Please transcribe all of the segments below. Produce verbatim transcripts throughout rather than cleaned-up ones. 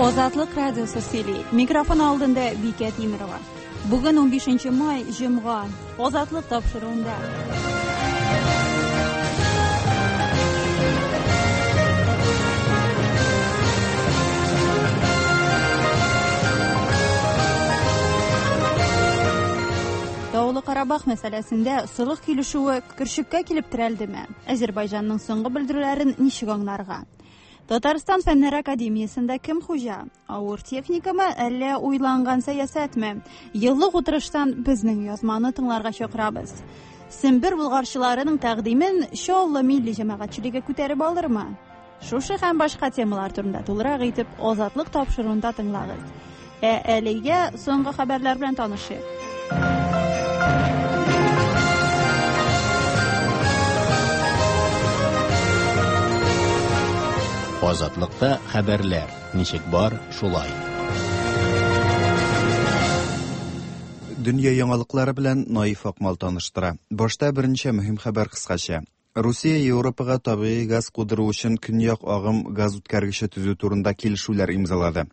Азатлык радиосы сөйли. Микрофон алдында Бикә Тимерова. Бүген унбишенче май, җомга. Азатлык тапшыруында. Таулы Карабах мәсьәләсендә солых килешүе көршеккә килеп терәлдеме? Азербайҗанның соңгы белдерүләрен ничек аңларга? Татарстан Фәннәр Академиясендә кем хуҗа? Авыр техникамы, әллә уйланган сәясәтме? Еллык утырыштан безнең язманы тыңларга чакырабыз. Сембер булгарчыларының тәкъдимен Чаллы милли җәмәгатьчелеге күтәреп алырмы? Шушы һәм башка темалар турында тулырак итеп Азатлык тапшыруында тыңлагыз. Ә әлегә соңгы хәбәрләр белән танышыйк. Азатлыкта хәбәрләр ничек бар, шулай. Дөнья яңалыклары белән Наиф Акмал таныштыра. Башта берничә мөһим хәбәр кыскача. Русия Европага табигый газ кудыру өчен көньяк агым газ үткәргече төзү турында килешүләр имзалады.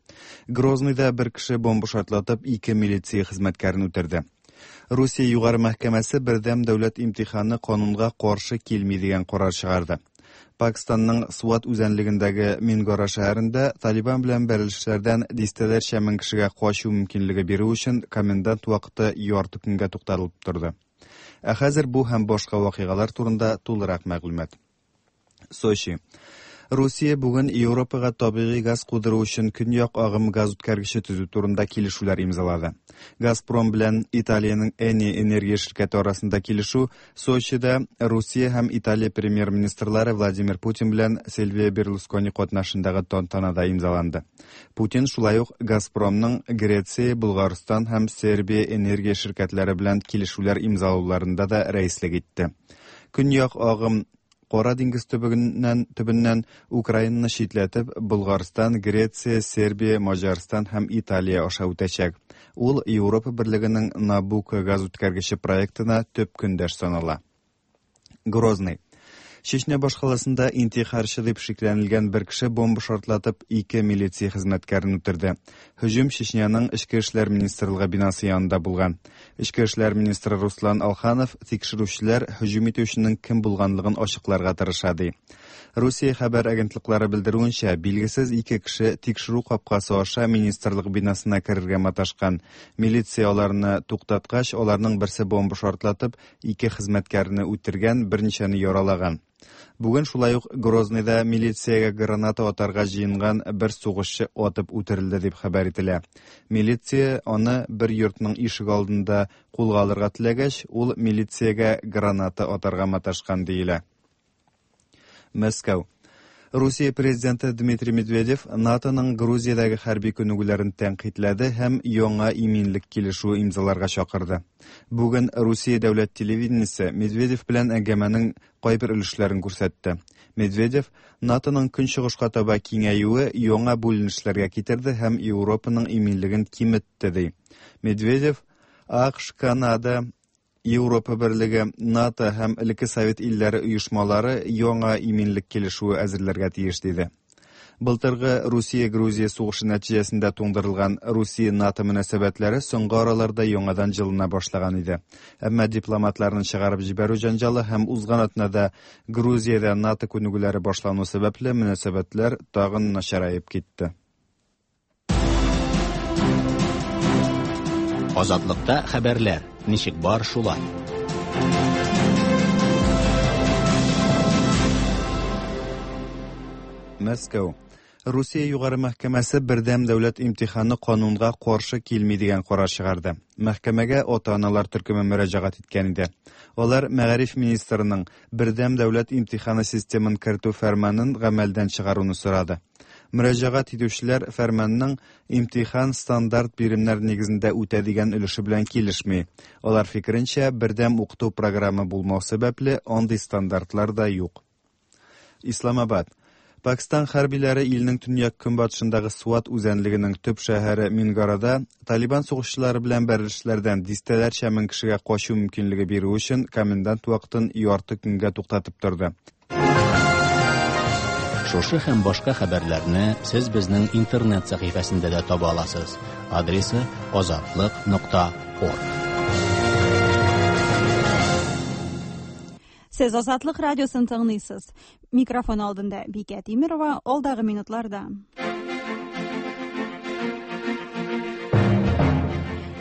Грозныйда бер кеше бомба шартлатып ике милиция хезмәткәрен үтерде. Русия Югары мәхкәмәсе бердәм дәүләт имтиханы канунга каршы килми дигән карар чыгарды. Пакистанның Суат үзәнлегендәге Мингора шәһәрендә Талибан белән бәрелешләрдән дистәләрчә мең кешегә качу мөмкинлеге бирү өчен комендант вакыты ярты көнгә тукталып торды. Ә хәзер бу һәм башка вакыйгалар турында тулырак мәгълүмат. Сочи. Русия бүген Европага табигый газ кудыру өчен көньяк агым газ үткәргече төзү турында килешүләр имзалады. Газпром белән Италиянең Eni энергия ширкәте арасында килешү Сочида Русия һәм Италия премьер-министрлары Владимир Путин белән Сильвио Берлускони катнашындагы тантанада имзаланды. Путин шулай ук Газпромның Греция, Булгарстан һәм Сербия энергия ширкәтләре белән килешүләр имзалауларында да рәислек итте. Көньяк агым Кара диңгез төбеннән, төбеннән Украинаны читләтеп, Булгарстан, Греция, Сербия, Маҗарстан һәм Италия аша үтәчәк. Ул Европа Берлегенең Набуко газ үткәргече проектына төп көндәш санала. Грозный. Чечня башкаласында интихарчы дип шикләнелгән бер кеше бомба шартлатып ике милиция хезмәткәрен үтерде. Һөҗүм Чечняның Эчке эшләр министрлыгы бинасы янында булган. Эчке эшләр министры Руслан Алханов тикшерүчеләр һөҗүм итүченең кем булганлыгын ачыкларга тырыша ди. Русия хәбәр агентлыклары белдерүенчә, билгесез ике кеше тикшерү капкасы аша министрлык бинасына керергә маташкан. Милиция аларны туктаткач, аларның берсе бомба шартлатып ике хезмәткәрне үтергән, берничәне яралаган. Бүген шулай ук Грозныйда милициягә граната атарга җыенган бер сугышчы атып үтерелде дип хәбәр ителә. Милиция аны бер йортның ишек алдында кулга алырга теләгәч, ул милициягә граната атарга маташкан диелә. Мәскәү. Русия президенты Дмитрий Медведев НАТОның Грузиядәге хәрби күнегүләрен тәнкыйтьләде һәм яңа иминлек килешүе имзаларга чакырды. Бүген Русия дәүләт телевидениесе Медведев белән әңгәмәнең кайбер өлешләрен күрсәтте. Медведев НАТОның көнчыгышка таба киңәюе яңа бүленешләргә китерде һәм Европаның иминлеген киметте ди. Медведев АКШ, Канада, Европа Берлеге, НАТО һәм элекке Совет илләре оешмалары яңа иминлек килешүе әзерләргә тиеш диде. Былтыргы Русия-Грузия сугышы нәтиҗәсендә туңдырылган Русия-НАТО мөнәсәбәтләре соңгы араларда яңадан җылына башлаган иде. Әмма дипломатларны чыгарып җибәрү җәнҗалы һәм узган атнада Грузиядә НАТО күнегүләре башлану сәбәпле мөнәсәбәтләр тагын начараеп китте. Азатлыкта хәбәрләр ничек бар, шулай. Мәскәү. Русия Югары мәхкәмәсе бердәм дәүләт имтиханы канунга каршы килми дигән карар чыгарды. Мәхкәмәгә ата-аналар төркеме мөрәҗәгать иткән иде. Алар мәгариф министрының бердәм дәүләт имтиханы системын кертү фәрманын гамәлдән чыгаруны сорады. Мөрәҗәгать итүчеләр фәрманның имтихан стандарт биремнәр нигезендә үтә дигән өлеше белән килешми. Алар фикеренчә, бердәм укыту программы булмау сәбәпле андый стандартлар да юк. Исламабад. Пакистан хәрбиләре илнең төньяк көнбатышындагы Суат үзәнлегенең төп шәһәре Мингарада Талибан сугышчылары белән бәрелешләрдән дистәләрчә мең кешегә качу мөмкинлеге бирү өчен комендант вакытын ярты көнгә туктатып торды. Шушы һәм башка хәбәрләрне сез безнең интернет сәхифәсендә дә таба аласыз. Адресы азатлык нокта орг. Сез Азатлык радиосын тыңлыйсыз. Микрофон алдында Бикә Тимирова, алдагы минутларда.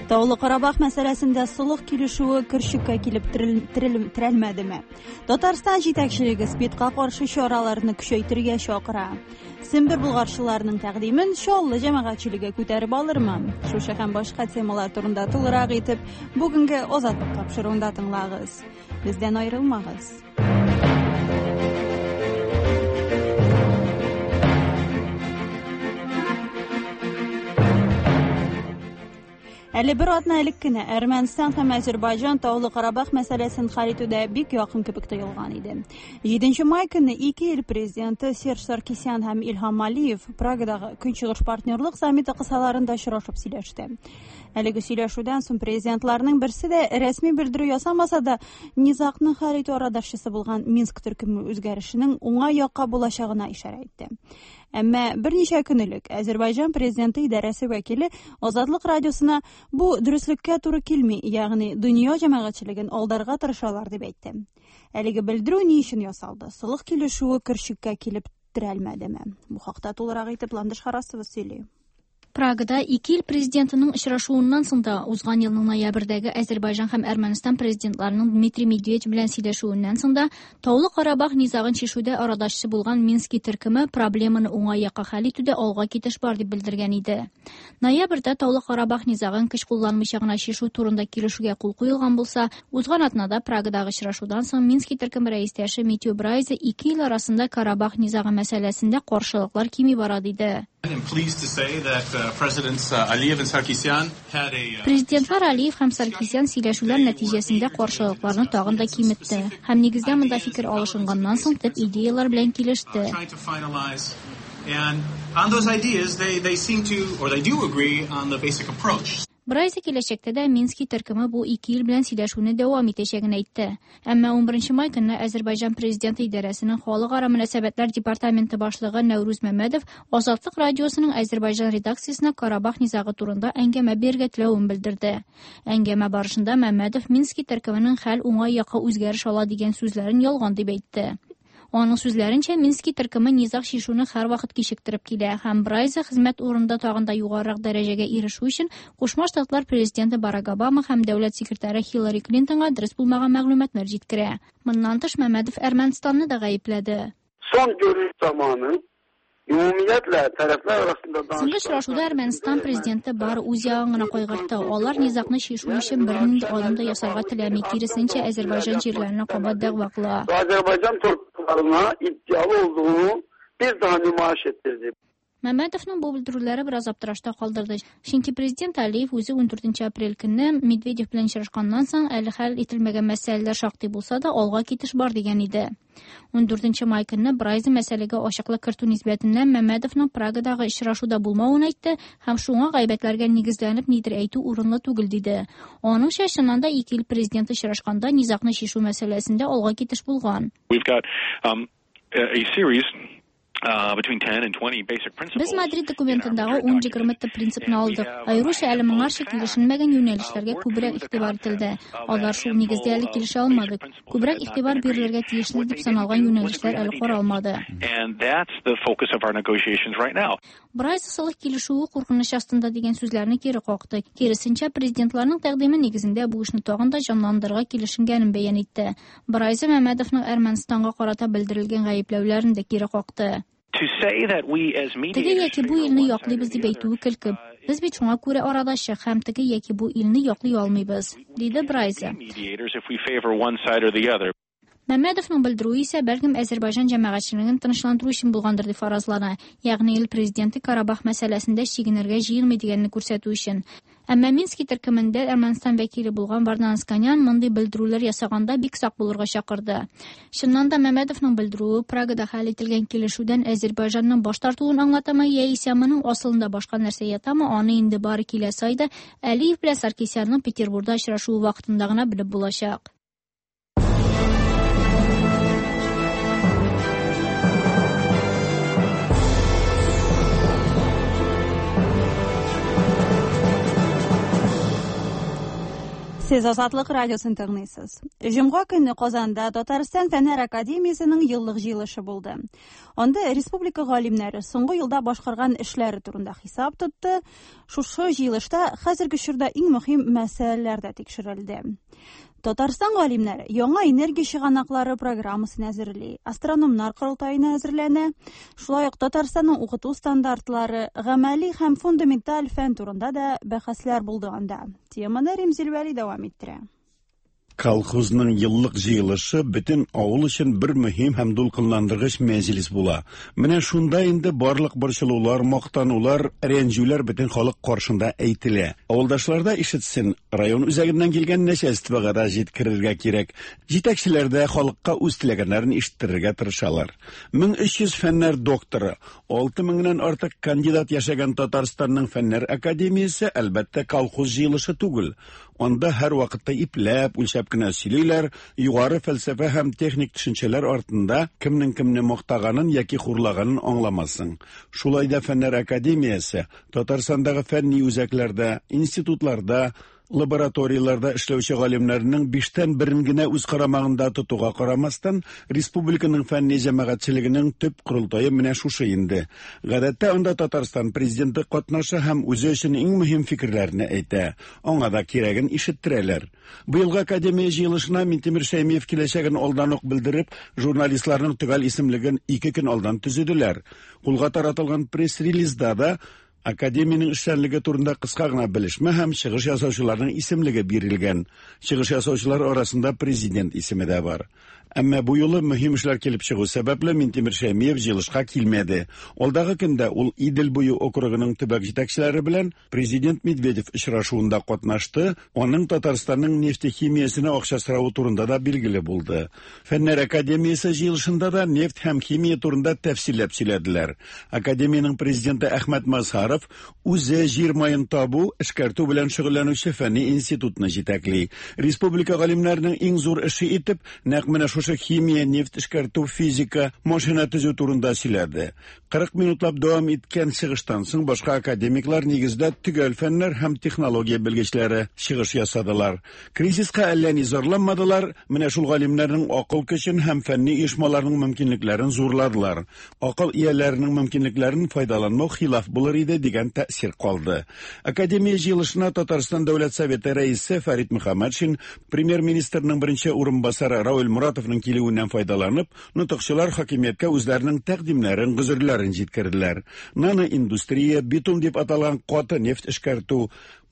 Таулы Карабах мәсьәләсендә солых килешүе көршеккә килеп терелмәдеме? Татарстан җитәкчелеге СПИДка каршы чараларны көчәйтергә чакыра. Сембер булгарчыларының тәкъдимен Чаллы җәмәгатьчелеге күтәреп алырмы? Шушы һәм башка темалар турында тулырак итеп бүгенге Азатлык тапшыруында тыңлагыз. Бездән аерылмагыз. Әле бер атна элек кенә Әрмәнстан һәм Азербайҗан Таулы Карабах мәсьәләсен хәл итүдә бик якын кебек тоелган иде. Җиденче май көне ике ил президенты Серж Саркисян һәм Илһам Алиев Прагадагы Көнчыгыш партнерлык саммиты кысаларында очрашып сөйләште. Әлеге сөйләшүдән соң президентларның берсе дә рәсми белдерү ясамаса да, низагны хәл итү арадашчысы булган Минск төркеме үзгәрешенең уңай якка булачагына ишарә итте. Әмма берничә көн элек Азербайҗан президенты идарәсе вәкиле Азатлык радиосына бу дөреслеккә туры килми, ягъни дөнья җәмәгатьчелеген алдарга тырышалар дип әйтте. Әлеге белдерү ни өчен ясалды? Солых килешүе көршеккә килеп терәлмәдеме? Бу хакта тулырак итеп Ландыш Харасова сөйли. Прагада ике ил президентының очрашуыннан соң да узган елның ноябрьдәге Азербайҗан һәм Әрмәнстан президентларының Дмитрий Медведев белән сөйләшүеннән соң да Таулы Карабах низагын чишүдә арадашчы булган Мински төркеме проблеманы уңай якка хәл итүдә алга китеш бар дип белдергән иде. Ноябрьдә Таулы Карабах низагын көч кулланмыйча гына чишү турында килешүгә кул куелган булса, узган атнада Прагадагы очрашудан соң Мински төркеме рәистәше Митю Брайзе ике ил арасында Карабах низагы мәсьәләсендә каршылыклар кими бара диде. Президентлар Алиев һәм Саркисян сөйләшүләр нәтиҗәсендә каршылыкларны тагын да киметте һәм нигездә монда фикер алышынганнан соң төп идеялар белән килеште. Брайзе киләчәктә дә Мински төркеме бу ике ил белән сөйләшүне дәвам итәчәген әйтте. Әмма унберенче май көнне Азербайҗан президенты идарәсенең халыкара мөнәсәбәтләр департаменты башлыгы Нәүрүз Мәмәдов Азатлык радиосының Азербайҗан редакциясенә Карабах низагы турында әңгәмә бирергә теләвен белдерде. Әңгәмә барышында Мәмәдов Мински төркеменең хәл уңай якка үзгәреш ала дигән сүзләрен ялган дип әйтте. Аның сүзләренчә, Мински төркеме низаг чишүне һәрвакыт кичектереп килә һәм Брайзе хезмәт урынында тагын да югарырак дәрәҗәгә ирешү өчен Кушма Штатлар президенты Барак Обама һәм дәүләт секретаре Хиллари Клинтонга дөрес булмаган мәгълүматлар җиткерә. Моннан тыш Мәмәдов Әрмәнстанны да гаепләде. Son görüş zamanı Ümumiyyətlə tərəflər arasında Соңгы очрашуда Әрмәнстан президенты бары үз ягын гына кайгыртты. Алар низагны чишү өчен бернинди адым да ясарга теләми, киресенчә Азербайҗан җирләренә кабат дәгъва кыла. Azerbaycan torpaqlarına iddialı olduğunu bir daha nümayiş ettirdi. Мәмәдовның бу белдерүләре бераз аптырашта калдырды. Чөнки президент Алиев үзе ундүртенче апрель көнне Медведев белән очрашканнан соң әле хәл ителмәгән мәсьәләләр шактый булса да алга китеш бар дигән иде. Ундүртенче май көнне Брайзе мәсьәләгә ачыклык кертү нисбәтеннән Мәмәдовның Прагадагы очрашуда булмавын әйтте һәм шуңа гайбәтләргә нигезләнеп нидер әйтү урынлы түгел диде. Аныңча, чыннан да ике ил президенты очрашканда низагны чишү мәсьәләсендә алга китеш булган. We've got um, a series between ten and twenty basic principles. Без Мадрид документындагы ун егерме төп принципны алдык. Аеруча әле моңарчы килешенмәгән юнәлешләргә күбрәк игътибар ителде. Алар шул нигездә әле килешә алмадык. Күбрәк игътибар бирелергә тиешле дип саналган юнәлешләр әле каралмады. And that's the focus of our negotiations right now. Брайзе солых килешүе куркыныч астында дигән сүзләрне кире какты. Киресенчә, президентларның тәкъдиме нигезендә бу эшне тагын да җанландырырга килешенгәнен бәян итте. Брайзе Мәмәдовның Әрмәнстанга карата белдерелгән гаепләүләрен дә кире какты. Теге яки бу илне яклыйбыз дип әйтүе көлке. Без бит шуңа күрә арадашчы һәм теге яки бу илне яклый алмыйбыз, диде Брайзе. Мәмәдовның белдерүе исә бәлкем Азербайҗан җәмәгатьчелеген тынычландыру өчен булгандыр дип фаразлана. Ягъни ил президенты Карабах мәсьәләсендә чигенергә җыенмый дигәнне күрсәтү өчен. Әмма Мински төркемендә Әрмәнстан вәкиле булган Вардан Осканян мондый белдерүләр ясаганда бик сак булырга чакырды. Чыннан да Мәмәдовның белдерүе Прагада хәл ителгән килешүдән Азербайҗанның баш тартуын аңлатамы яисә моның асылында башка нәрсә ятамы, аны инде бары киләсе айда Алиев белән Саркисянның Петербургда очрашуы вакытында гына белеп булачак. Сез Азатлык радиосын тыңлыйсыз. Җомга көнне Казанда Татарстан Фәннәр академиясенең еллык җыелышы булды. Анда республика галимнәре соңгы елда башкарган эшләре турында хисап тотты. Шушы җыелышта хәзерге чорда иң мөһим мәсьәләләр дә тикшерелде. Татарстан галимнәре яңа энергия чыганаклары программасын әзерли, астрономнар корылтаена әзерләнә. Шулай ук Татарстанның укыту стандартлары, гамәли һәм фундаменталь фән турында да бәхәсләр булды анда. Теманы Римзил Вәли дәвам иттерә. Колхозның еллык җыелышы бөтен авыл өчен бер мөһим һәм дулкынландыргыч мәҗлес була. Менә шунда инде барлык борчылулар, мактанулар, рәнҗүләр бөтен халык каршында әйтелә. Авылдашлар да ишетсен, район үзәгеннән килгән начальствога да җиткерергә кирәк. Җитәкчеләр дә халыкка үз теләгәннәрен ишеттерергә тырышалар. мең өч йөз фәннәр докторы, алты меңнән артык кандидат яшәгән Татарстанның Фәннәр академиясе, әлбәттә, колхоз җыелышы түгел. Анда һәр вакытта ипләп, үлчәп кенә сөйлиләр, югары фәлсәфә һәм техник төшенчәләр артында кемнең кемне мактаганын яки хурлаганын аңламассың. Шулай да Фәннәр академиясе Татарстандагы фәнни үзәкләрдә, институтларда, лабораторияларда эшләүче галимнәрнең биштән берен генә үз карамагында тотуга карамастан, республиканың фәнни җәмәгатьчелегенең төп корылтае менә шушы инде. Гадәттә анда Татарстан президенты катнаша һәм үзе өчен иң мөһим фикерләрне әйтә. Аңа да кирәген ишеттерәләр. Быелгы академия җыелышына Минтимер Шәймиев киләчәген алдан ук белдереп, журналистларның төгәл исемлеген ике көн алдан төзеделәр. Кулга таратылган пресс-релизда да Академияның эшчәнлеге турында кыска гына белешмә һәм чыгыш ясаучыларның исемлеге бирелгән. Чыгыш ясаучылар арасында президент исеме дә бар. Әмма бу юлы мөһим эшләр килеп чыгу сәбәпле Минтимер Шәймиев җыелышка килмәде. Алдагы көндә ул Идел буе округының төбәк җитәкчеләре белән президент Медведев очрашуында катнашты. Аның Татарстанның нефтехимиясенә акча соравы турында да билгеле булды. Фәннәр академиясе җыелышында да нефть һәм химия турында тәфсилләп сөйләделәр. Академиянең президенты Әхмәт Мазһаров үзе җир маен табу, эшкәртү белән шөгыльләнүче фәнни институтны җитәкли. Республика галимнәренең иң зур эше итеп нәкъ менә шушы химия, нефть эшкәртү, физика, машина төзү турында сөйләде. Кырык минутлап дәвам иткән чыгыштан соң башка академиклар нигездә төгәл фәннәр һәм технология белгечләре чыгыш ясадылар. Кризиска әллә ни зарланмадылар, менә шул галимнәрнең акыл көчен һәм фәнни оешмаларның мөмкинлекләрен зурладылар. Акыл ияләренең мөмкинлекләрен файдаланмау хилаф булыр иде дигән тәэсир калды. Академия җыелышына Татарстан Дәүләт Советы рәисе Фәрит Мөхәммәтшин, премьер-министрның беренче урынбасары Равил Муратовның килүеннән файдаланып, нотыкчылар хакимияткә үзләренең тәкъдимнәрен, гозерләрен җиткерделәр. Наноиндустрия, битум дип аталган каты нефть эшкәртү,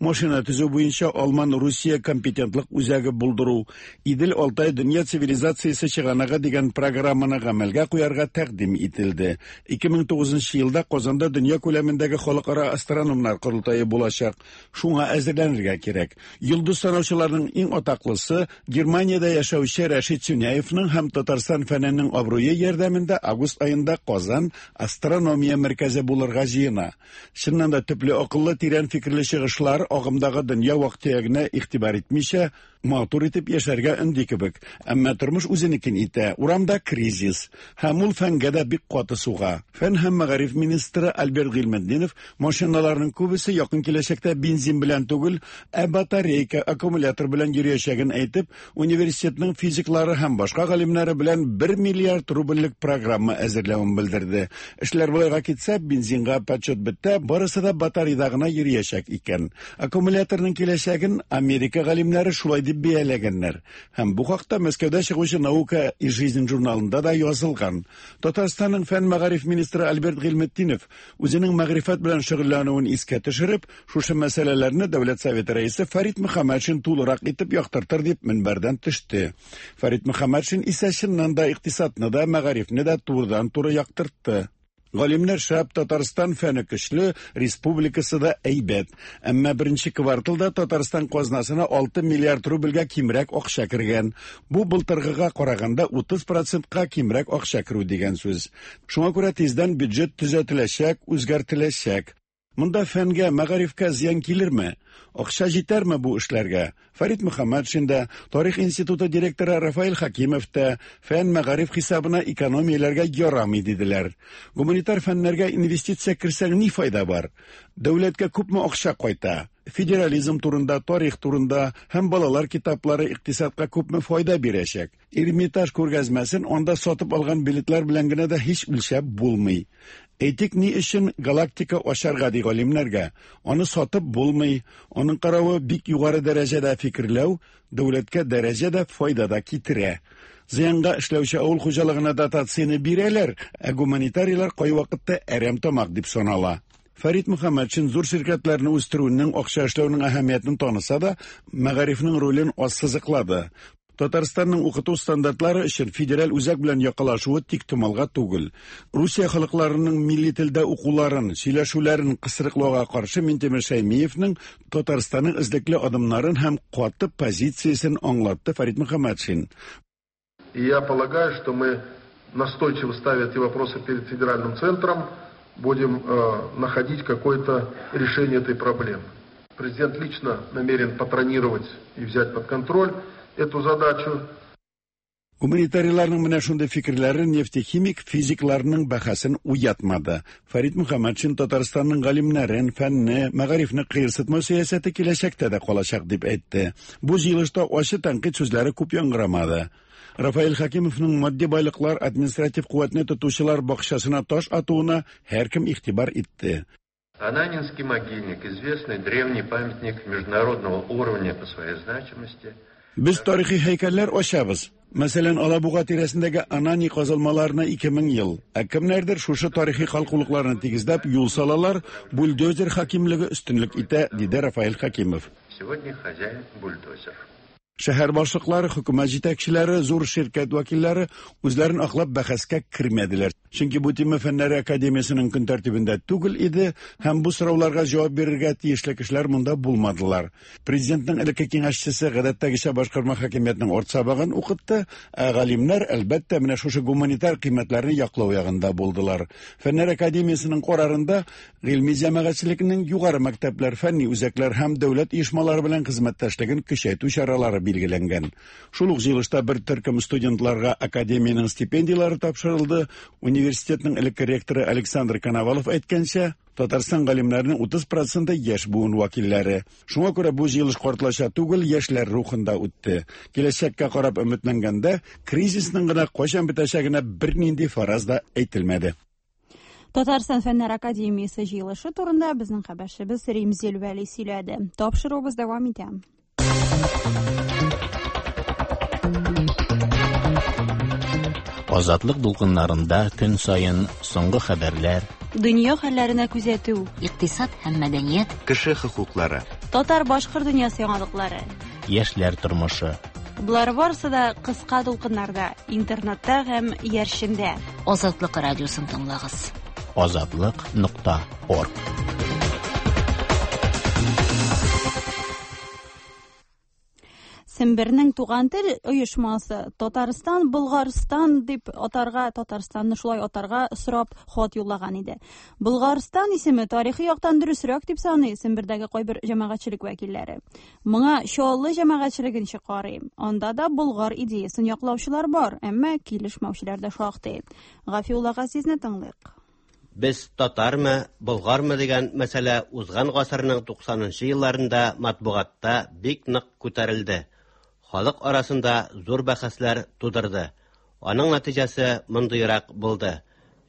машина төзү буенча Алман-Русия компетентлык үзәге булдыру, Идел-Алтай дөнья цивилизациясе чыганагы дигән программаны гамәлгә куярга тәкъдим ителде. ике мең тугызынчы елда Казанда дөнья күләмендәге халыкара астрономнар корылтае булачак. Шуңа әзерләнергә кирәк. Йолдыз санаучыларның иң атаклысы Германиядә яшәүче Рәшит Сюняевның һәм Татарстан фәненең абруе ярдәмендә август аенда Казан астрономия мәркәзе булырга җыена. Чыннан да төпле акыллы, тирән фикерле чыгышлар агымдагы дөнья вак-төягенә игътибар итмичә, матур итеп яшәргә өнди кебек. Әмма тормыш үзенекен итә. Урамда кризис. Һәм ул фәнгә дә бик каты суга. Фән һәм мәгариф министры Альберт Гыйльметдинов машиналарның күбесе якын киләчәктә бензин белән түгел, ә батарейка, аккумулятор белән йөриячәген әйтеп, университетның физиклары һәм башка галимнәре белән бер миллиард рубльлек программа әзерләвен белдерде. Эшләр болайга китсә, бензинга подсчет бетте, барысы да батарейда гына йөриячәк икән. Аккумуляторның киләчәген Америка галимнәре шулай дип бәяләгәннәр. Һәм бу хакта Мәскәүдә чыгучы Наука и жизнь журналында да язылган. Татарстанның фән мәгариф министры Альберт Гыйльметдинов үзенең мәгърифәт белән шөгыльләнүен искә төшереп, шушы мәсьәләләрне Дәүләт Советы рәисе Фәрит Мөхәммәтшин тулырак итеп яктыртыр дип мөнбәрдән төште. Фәрит Мөхәммәтшин исә чыннан да икътисадны да, мәгарифне дә турыдан-туры яктыртты. Галимнәр шәп, Татарстан фәне көчле, республикасы да әйбәт. Әмма беренче кварталда Татарстан казнасына алты миллиард рубльгә кимрәк акча кергән. Бу былтыргыга караганда утыз процентка кимрәк акча керү дигән сүз. Шуңа күрә тиздән бюджет төзәтеләчәк, үзгәртеләчәк. Монда фәнгә, мәгарифкә зыян килерме? Акча җитәрме бу эшләргә? Фәрит Мөхәммәтшин дә, Тарих институты директоры Рафаэль Хакимов та фән мәгариф хисабына экономияләргә ярамый диделәр. Гуманитар фәннәргә инвестиция керсәң ни файда бар? Дәүләткә күпме акча кайта? Федерализм турында, тарих турында һәм балалар китаплары икътисадка күпме файда бирәчәк. Эрмитаж күргәзмәсен анда сатып алган билетлар белән генә дә һич үлчәп булмый. Әйтик, ни өчен галактика ашарга ди галимнәргә? Аны сатып булмый. Аның каравы бик югары дәрәҗәдә фикерләү дәүләткә дәрәҗәдә файда да китерә. Зыянга эшләүче авыл хуҗалыгына дотацияне бирәләр, ә гуманитарийлар кайвакытта әрәм тамак дип санала. Фәрит Мөхәммәтшин зур ширкәтләрне үстерүнең, акча эшләүнең әһәмиятен таныса да, мәгарифнең ролен ассызыклады. Татарстанның укыту стандартлары өчен федераль үзәк белән якалашуы тик томалга түгел. Русия халыкларының милли телдә укуларын, сөйләшүләрен кысрыклауга каршы Минтимер Шәймиевның Татарстанның эзлекле адымнарын һәм каты позициясен аңлатты Фәрит Мөхәммәтшин. И я полагаю, что мы, настойчиво ставя эти вопросы перед федеральным центром, будем э, находить какое-то решение этой проблемы. Президент лично намерен патронировать и взять под контроль эту задачу. Гуманитарийларның менә шундый фикерләре нефтехимик физикларның бәхәсен уятмады. Фәрит Мөхәммәтшин Татарстанның галимнәрен, фәнне, мәгарифне кыерсытмау сәясәте киләчәктә дә калачак дип әйтте. Бу җыелышта ачы тәнкыйть сүзләре күп яңгырамады. Рафаэль Хакимовның матди байлыклар административ куәтне тотучылар бакчасына таш атуына һәркем игътибар итте. Ананинский могильник, известный древний памятник международного уровня по своей значимости. Без тарихи һәйкәлләр ачабыз. Мәсәлән, Алабуга тирәсендәге Анани казылмаларына ике мең ел. Ә кемнәрдер шушы тарихи калкулыкларны тигезләп юл салалар, бульдозер хакимлеге өстенлек итә, диде Рафаэль Хакимов. Сегодня хозяин бульдозер. Шәһәр башлыклары, хөкүмәт җитәкчеләре, зур ширкәт вәкилләре үзләрен аклап бәхәскә кермәделәр. Чөнки бу тема Фәннәр академиясенең көн тәртибендә түгел иде һәм бу сорауларга җавап бирергә тиешле кешеләр монда булмадылар. Президентның элекке киңәшчесе гадәттәгечә башкарма хакимиятнең арт сабагын укытты, ә галимнәр әлбәттә менә шушы гуманитар кыйммәтләрне яклау ягында булдылар. Фәннәр академиясенең карарында гыйльми җәмәгатьчелекнең югары мәктәпләр, фәнни үзәкләр һәм дәүләт оешмалары белән хезмәттәшлеген көчәйтү чаралары билгеләнгән. Шул ук җыелышта бер төркем студентларга академиянең стипендияләре тапшырылды. Университетның элекке ректоры Александр Коновалов әйткәнчә, Татарстан галимнәренең утыз проценты яшь буын вәкилләре. Шуңа күрә бу җыелыш картлача түгел, яшьләр рухында үтте. Киләчәккә карап өметләнгәндә, кризисның гына кайчан бетәчәгенә бернинди фараз да әйтелмәде. Татарстан Фәннәр академиясе җыелышы турында безнең хәбәрчебез Римзил Вәли сөйләде. Тапшыруыбыз дәвам итә. Азатлык дулкыннарында көн саен соңгы хәбәрләр, дөнья хәлләренә күзәтү, икътисад һәм мәдәният, кеше хокуклары, татар-башкорт дөньясы яңалыклары, яшьләр тормышы. Болар барысы да кыска дулкыннарда, интернетта һәм иярчендә. Азатлык радиосын тыңлагыз. Азатлык нокта орг. Сембернең туган тел оешмасы Татарстан, Болгарстан дип атарга, Татарстанны шулай атарга сорап хат юллаган иде. Болгарстан исеме тарихи яктан дөресрәк дип саный Сембердәге кайбер җәмәгатьчелек вәкилләре. Моңа Чаллы җәмәгатьчелеген карый. Анда да Болгар идеясын яклаучылар бар, әмма килешмәүчеләр дә шактый. Гафиулла Газизне тыңлыйк. Без татармы, болгармы дигән мәсьәлә узган гасырның туксанынчы елларында матбугатта бик нык күтәрелде. Халык арасында зур бәхәсләр тудырды. Аның нәтиҗәсе мондыйрак булды.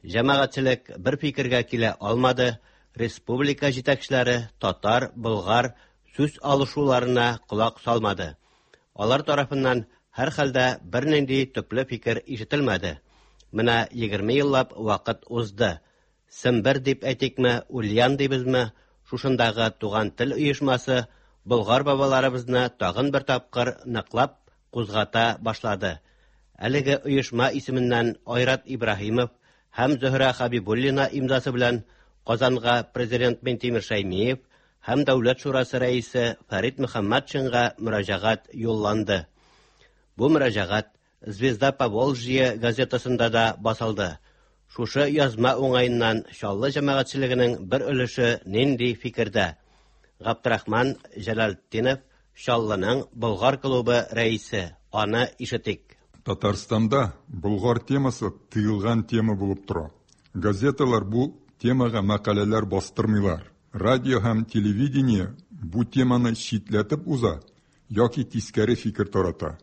Җәмәгатьчелек бер фикергә килә алмады. Республика җитәкчеләре татар, болгар сүз алышуларына колак салмады. Алар тарафыннан һәр хәлдә бернинди төпле фикер ишетелмәде. Менә егерме еллап вакыт узды. Сембер дип әйтикме, Ульян дибезме, шушындагы туган тел оешмасы Болгар бабаларыбызны тагын бер тапкыр ныклап кузгата башлады. Әлеге оешма исеменнән Айрат Ибраһимов һәм Зөһрә Хабибуллина имзасы белән Казанга президент Минтимер Шәймиев һәм Дәүләт шурасы рәисе Фәрит Мөхәммәтшинга мөрәҗәгать юлланды. Бу мөрәҗәгать «Звезда Поволжье» газетасында да басылды. Шушы язма уңаеннан Чаллы җәмәгатьчелегенең бер өлеше нинди фикердә? Габдрахман Җәләлетдинов, Чаллының Болгар клубы рәисе, аны ишетик. Татарстанда Болгар темасы тыелган тема булып тора. Газеталар бу темага мәкаләләр бастырмыйлар. Радио һәм телевидение бу теманы читләтеп уза яки тискәре фикер тарата.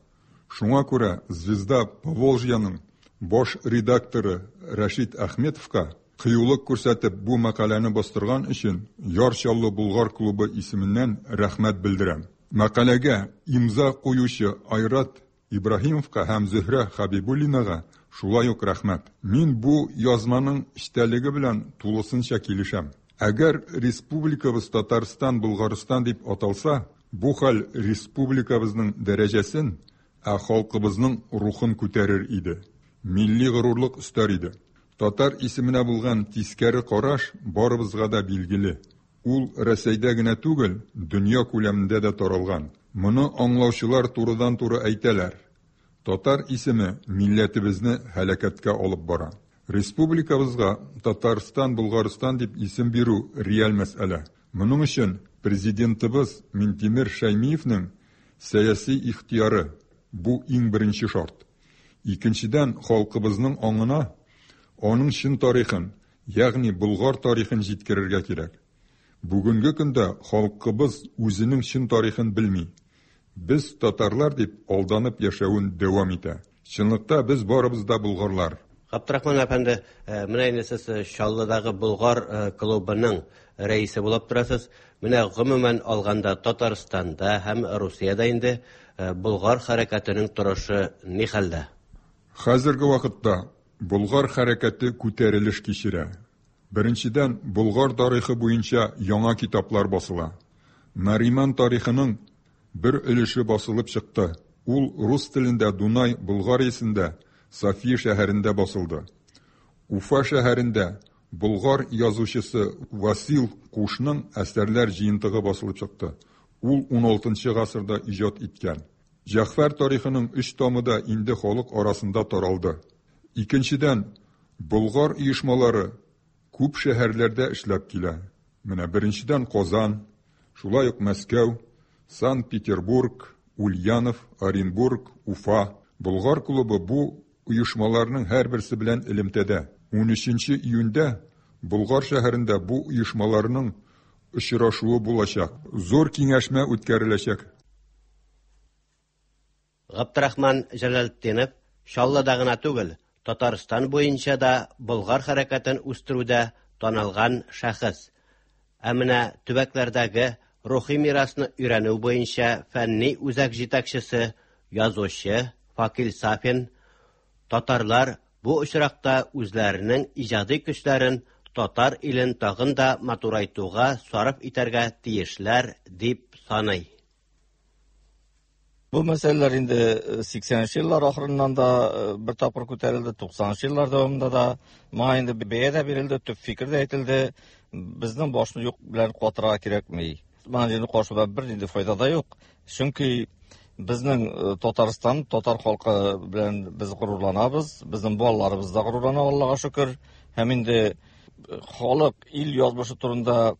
Шуңа күрә «Звезда Поволжьяның» баш редакторы Рәшит Әхметовка кыюлык күрсәтеп бу мәкаләне бастырган өчен Яр Чаллы Болгар клубы исеменнән рәхмәт белдерәм. Мәкаләгә имза куючы Айрат Ибраһимовка һәм Зөһрә Хәбибуллинага шулай ук рәхмәт. Мин бу язманың эчтәлеге белән тулысынча килешәм. Әгәр республикабыз Татарстан, Болгарстан дип аталса, бу хәл республикабызның дәрәҗәсен, ә халкыбызның рухын күтәрер иде. Милли горурлык өстәр иде. Татар исеменә булган тискәре караш барыбызга да билгеле. Ул Рәсәйдә генә түгел, дөнья күләмендә дә таралган. Моны аңлаучылар турыдан-туры әйтәләр. Татар исеме милләтебезне һәлакәткә алып бара. Республикабызга Татарстан, Болгарстан дип исем бирү реаль мәсьәлә. Моның өчен президентыбыз Минтимер Шәймиевнең сәяси ихтыяры бу иң беренче шарт. Икенчедән, халкыбызның аңына аның чын тарихын, ягъни Болгар тарихын җиткерергә кирәк. Бүгенге көндә халкыбыз үзенең чын тарихын белми. Без татарлар дип алданып яшәвен дәвам итә. Чынлыкта без барыбыз да болгарлар. Габдрахман әфәнде, менә инде сез Чаллыдагы Болгар клубының рәисе булып торасыз. Менә гомумән алганда Татарстанда һәм Русиядә инде Болгар хәрәкәтенең торышы ни хәлдә? Хәзерге вакытта Болгар хәрәкәте күтәрелеш кичерә. Беренчедән, Болгар тарихы буенча яңа китаплар басыла. Нариман тарихының бер өлеше басылып чыкты. Ул рус телендә Дунай Болгариясендә, София шәһәрендә басылды. Уфа шәһәрендә болгар язучысы Васил Кушның әсәрләр җыентыгы басылып чыкты. Ул ун алтынчы гасырда иҗат иткән. Җәгъфәр тарихының өч томы да инде халык арасында таралды. Икенчедән, болгар оешмалары күп шәһәрләрдә эшләп килә. Менә беренчедән Казан, шулай ук Мәскәү, Санкт-Петербург, Ульянов, Оренбург, Уфа. Болгар клубы бу оешмаларның һәрберсе белән элемтәдә. Унөченче июньдә Болгар шәһәрендә бу оешмаларның очрашуы булачак. Зур киңәшмә үткәреләчәк. Габдрахман Җәләлетдинов Чаллыда гына түгел, Татарстан буенча да Болгар хәрәкәтен үстерүдә танылган шәхес. Ә менә төбәкләрдәге рухи мирасны өйрәнү буенча фәнни үзәк җитәкчесе, язучы Факил Сафин татарлар бу очракта үзләренең иҗади көчләрен татар илен тагын да матурайтуга сарыф итәргә тиешләр дип саный. Бу мәсьәләләр инде сиксәненче еллар ахырыннан да бер тапкыр күтәрелде, туксанынчы еллар дәвамында да моңа инде бәя дә бирелде, төп фикер дә әйтелде. Безнең башны юк белән катырга кирәкми. Моңа инде каршыда бер нинди файда да юк. Чөнки безнең Татарстан, татар халкы белән без горурланабыз, безнең балаларыбыз да горурлана, Аллага шөкер. Һәм инде халык, ил язмышы турында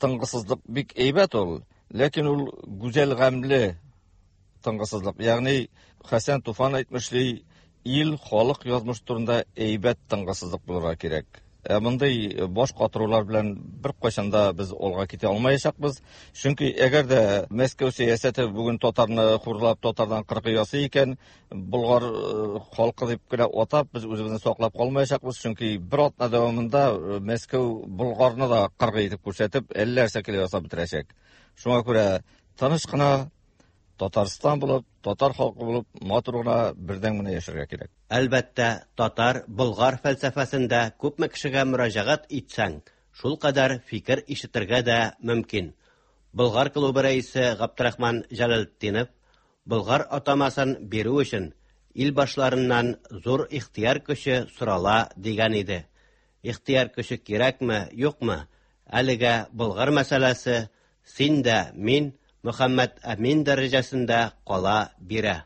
тынгысызлык бик әйбәт ул, ләкин ул гүзәл гамьле тынгысызлык. Ягъни Хәсән Туфан әйтмешли, ил, халык язмышы турында әйбәт тынгысызлык булырга кирәк. Ә мондый баш катырулар белән бер кайчан да без алга китә алмаячакбыз. Чөнки әгәр дә Мәскәү сәясәте бүген татарны хурлап, татардан кыркы ясый икән, болгар халкы дип кенә атап, без үзебезне саклап калмаячакбыз. Чөнки бер атна дәвамында Мәскәү болгарны да кыргый итеп күрсәтеп, әллә нәрсә килеп ясап бетерәчәк. Шуңа күрә тыныч кына Татарстан булып, татар халкы булып, матур гына бердәм генә яшәргә кирәк. Әлбәттә, татар, болгар фәлсәфәсендә күпме кешегә мөрәҗәгать итсәң, шул кадәр фикер ишетергә дә мөмкин. Болгар клубы рәисе Габдрахман Җәләлетдинов болгар атамасын бирү өчен ил башларыннан зур ихтыяр көче сорала дигән иде. Ихтыяр көче кирәкме, юкмы? Әлегә болгар мәсьәләсе син дә, мин Мөхәммәд Әмин дәрәҗәсендә кала бирә.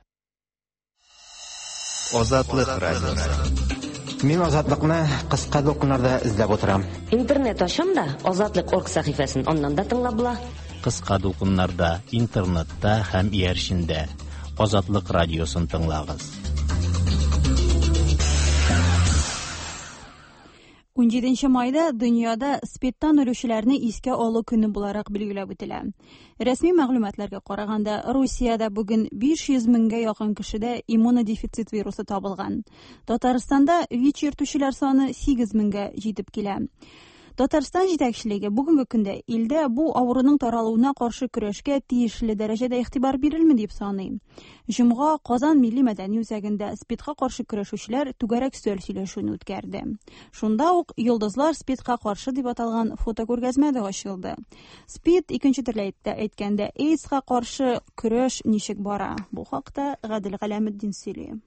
Азатлык радиосы. Мин Азатлыкны кыска дулкыннарда эзләп утырам. Интернет ачам да Азатлык орг сәхифәсен аннан да тыңлап була. Кыска дулкыннарда, интернетта һәм иярчендә Азатлык радиосын тыңлагыз. Унҗиденче майда дөньяда СПИДтан үлүчеләрне искә алу көне буларак билгеләп үтелә. Рәсми мәгълүматларга караганда, Русиядә бүген биш йөз меңгә якын кешедә иммунодефицит вирусы табылган. Татарстанда ВИЧ йөртүчеләр саны сигез меңгә җитеп килә. Татарстан җитәкчелеге бүгенге көндә илдә бу авыруның таралуына каршы көрәшкә тиешле дәрәҗәдә игътибар бирелми дип саный. Җомга Казан милли мәдәни үзәгендә СПИДка каршы көрәшүчеләр түгәрәк өстәл сөйләшүен үткәрде. Шунда ук Йолдызлар СПИДка каршы дип аталган фотокүргәзмә дә ачылды. СПИД, икенче төрле әйткәндә, АИДСка каршы көрәш ничек бара? Бу хакта Гадел Галәметдин сөйли.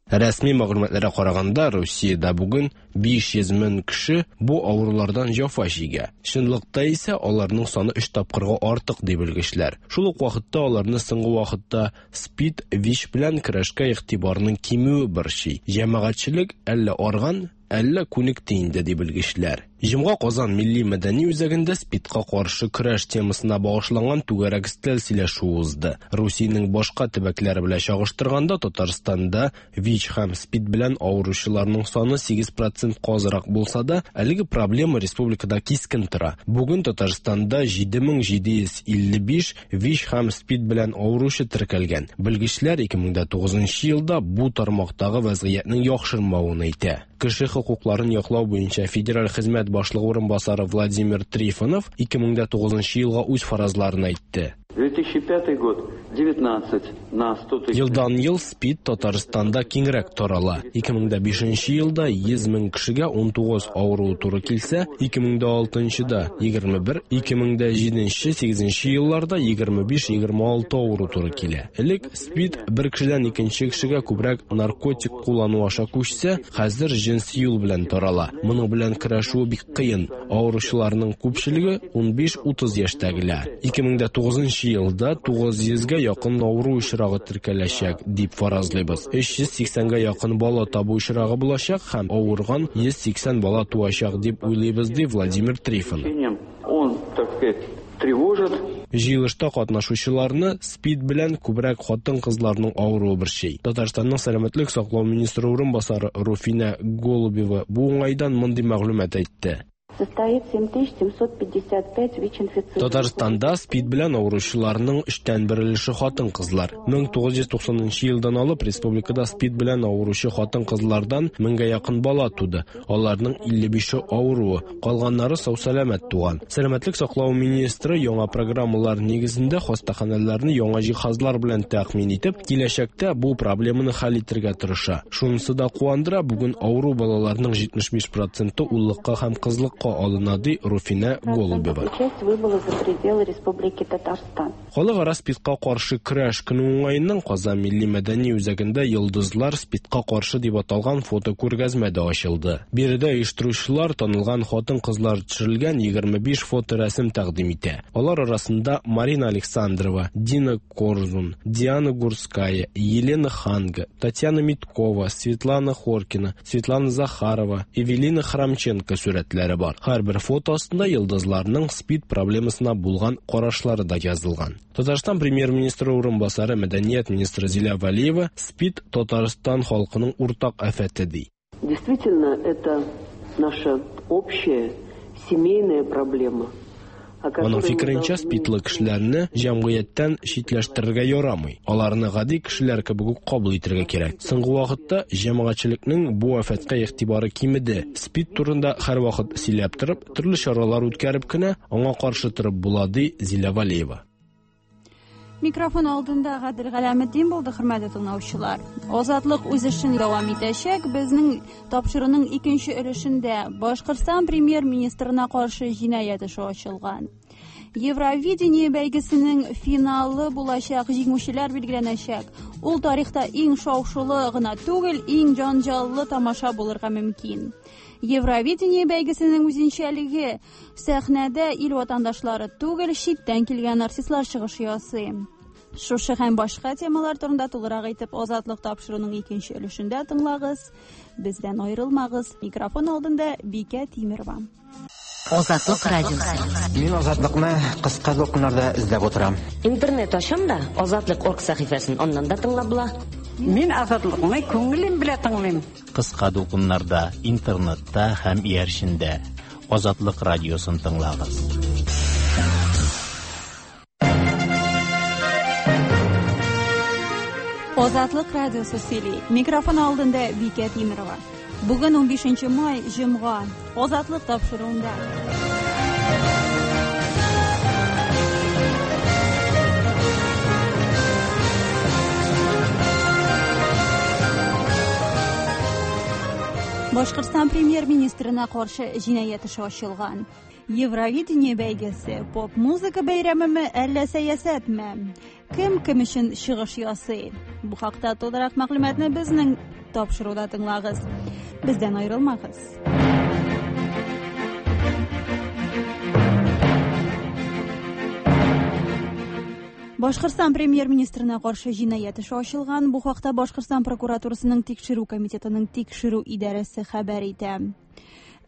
Рәсми мәгълүматларга караганда, Русиядә бүген биш йөз мең кеше бу авырулардан җәфа чигә. Чынлыкта исә аларның саны өч тапкырга артык ди белгечләр. Шул ук вакытта аларны соңгы вакытта СПИД, ВИЧ белән көрәшкә игътибарның кимүе борчый. Җәмәгатьчелек әллә арган, әллә күнекте инде ди белгечләр. Җомга Казан милли мәдәни үзәгендә СПИДка каршы көрәш темасына багышланган түгәрәк өстәл сөйләшү узды. Русиянең башка төбәкләре белән чагыштырганда Татарстанда ВИЧ һәм СПИД белән авыручыларның саны сигез процентка азрак булса да, әлеге проблема республикада кискен тора. Бүген Татарстанда җиде мең җиде йөз илле биш ВИЧ һәм СПИД белән авыручы теркәлгән. Белгечләр ике мең дә тугызынчы елда бу тармактагы вазгыятьнең яхшырмавын әйтә. Кеше хокукларын яклау буенча федераль хезмәт башлыгы урынбасары Владимир Трифонов ике мең дә тугызынчы елга үз фаразларын әйтте. две тысячи пятый год девятнадцать на сто тысяч. Елдан ел СПИД Татарстанда киңрәк тарала. ике мең дә бишенче елда йөз мең кешегә ун тугыз авыру туры килсә, ике мең дә алтынчыда егерме бер, ике мең дә җиденче, сигезенче елларда егерме биш, егерме алты авыру туры килә. Элек СПИД бер кешедән икенче кешегә күбрәк наркотик куллану аша күчсә, хәзер җенси юл белән тарала. Моның белән көрәшү бик кыен. Авыручыларның күпчелеге ун биш утыз яшьтәгеләр. ике мең дә тугызынчы елда тугыз йөзгә якын авыру очрагы теркәләчәк дип фаразлыйбыз. Өч йөз сиксәнгә якын бала табу очрагы булачак һәм авырган йөз сиксән бала туачак дип уйлыйбыз, ди Владимир Трифонов. Он, так сказать, тревожит. Җыелышта катнашучыларны СПИД белән күбрәк хатын-кызларның авыруы борчый. Татарстанның сәламәтлек саклау министры урынбасары Руфина Голубева бу уңайдан мондый мәгълүмат әйтте. Состоит семь тысяч семьсот пятьдесят пять ВИЧ-инфицированных. Татарстанда СПИД белән авыручыларның өчтән бер өлеше хатын-кызлар. Мең тугыз йөз туксанынчы елдан алып республикада СПИД белән авыручы хатын-кызлардан меңгә якын бала туды. Аларның илле бише авыруы, калганнары сау-сәламәт туган. Сәламәтлек саклау министры яңа программалар нигезендә хастаханәләрне яңа җиһазлар белән тәэмин итеп, киләчәктә бу проблеманы хәл итәргә тырыша. Шунысы да куандыра, бүген авыру балаларның җитмеш биш проценты уллыкка һәм кызлыкка алына, ди Руфина Голубева. Часть выбыла за пределы Республики Татарстан. Халыкара СПИДка каршы көрәш көне уңаеннан Казан милли мәдәни үзәгендә Йолдызлар СПИДка каршы дип аталган фотокүргәзмә дә ачылды. Биредә оештыручылар танылган хатын-кызлар төшерелгән егерме биш фоторәсем тәкъдим итә. Алар арасында Марина Александрова, Дина Корзун, Диана Гурская, Елена Ханга, Татьяна Миткова, Светлана Хоркина, Светлана Захарова, Эвелина Храмченко сурәтләре бар. Һәрбер фото астында йолдызларның СПИД проблемасына булган карашлары да язылган. Татарстан премьер-министры урынбасары, мәдәният министры Зилә Вәлиева СПИД Татарстан халкының уртак афәте ди. Действительно, это наша общая семейная проблема. Аның фикеренчә, СПИДлы кешеләрне җәмгыятьтән читләштерергә ярамый. Аларны гади кешеләр кебек үк кабул итәргә кирәк. Соңгы вакытта җәмәгатьчелекнең бу афәткә игътибары кимеде. СПИД турында һәрвакыт сөйләп торып, төрле чаралар үткәреп кенә аңа каршы торып була, ди Зилә Вәлиева. Микрофон алдында Гадел Галәметдин булды, хөрмәтле тыңлаучылар. Азатлык үз эшен дәвам итәчәк. Безнең тапшыруның икенче өлешендә Башкортстан премьер-министрына каршы җинаять эше ачылган. Евровидение бәйгесенең финалы булачак, җиңүчеләр билгеләнәчәк. Ул тарихта иң шау-шулы гына түгел, иң җанҗаллы тамаша булырга мөмкин. Евровидение бәйгесенең үзенчәлеге сәхнәдә ил ватандашлары түгел, читтән килгән артистлар чыгыш ясый. Шушы һәм башка темалар турында тулырак итеп Азатлык тапшыруның икенче өлешендә тыңлагыз. Бездән аерылмагыз. Микрофон алдында Бикә Тимерова. Азатлык радиосы. Мин Азатлыкны кыска дулкыннарда эзләп утырам. Интернет ачам да Азатлык орг сәхифәсен аннан да тыңлап була. Мин Азатлыкны күңелем белән тыңлыйм. Кыска дулкыннарда, интернетта һәм иярчендә Азатлык радиосын тыңлагыз. Азатлык радиосы сөйли. Микрофон алдында Бикә Тимирова. Бүген унбишенче май, җомга. Азатлык тапшыруында. Башкортстан премьер-министрына каршы җинаять эше ачылган. Евровидение бәйгесе поп-музыка бәйрәмеме, әллә сәясәтме? Кем кем өчен чыгыш ясый? Бу хакта тулырак мәгълүматны безнең тапшыруда тыңлагыз. Бездән аерылмагыз. Башкортстан премьер-министрына каршы җинаять эше ачылган. Бу хакта Башкортстан прокуратурасының тикшерү комитетының тикшерү идарәсе хәбәр итә.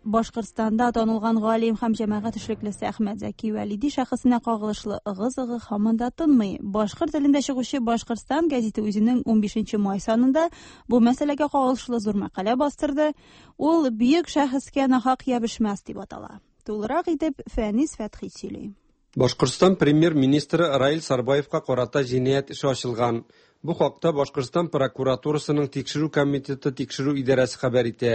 Башкортстанда танылган галим һәм җәмәгать эшлеклесе Әхмәт Зәки Вәлиди шәхесенә кагылышлы ыгы-зыгы һаман да тынмый. Башкорт телендә чыгучы Башкортстан гәзите үзенең унбишенче май санында бу мәсьәләгә кагылышлы зур мәкалә бастырды. Ул бөек шәхескә нахак ябышмас дип атала. Тулырак итеп Фәнис Фәтхи сөйли. Башкортстан премьер-министры Раил Сарбаевка карата җинаять эше ачылган. Бу хакта Башкортстан прокуратурасының тикшерү комитеты тикшерү идарәсе хәбәр итә.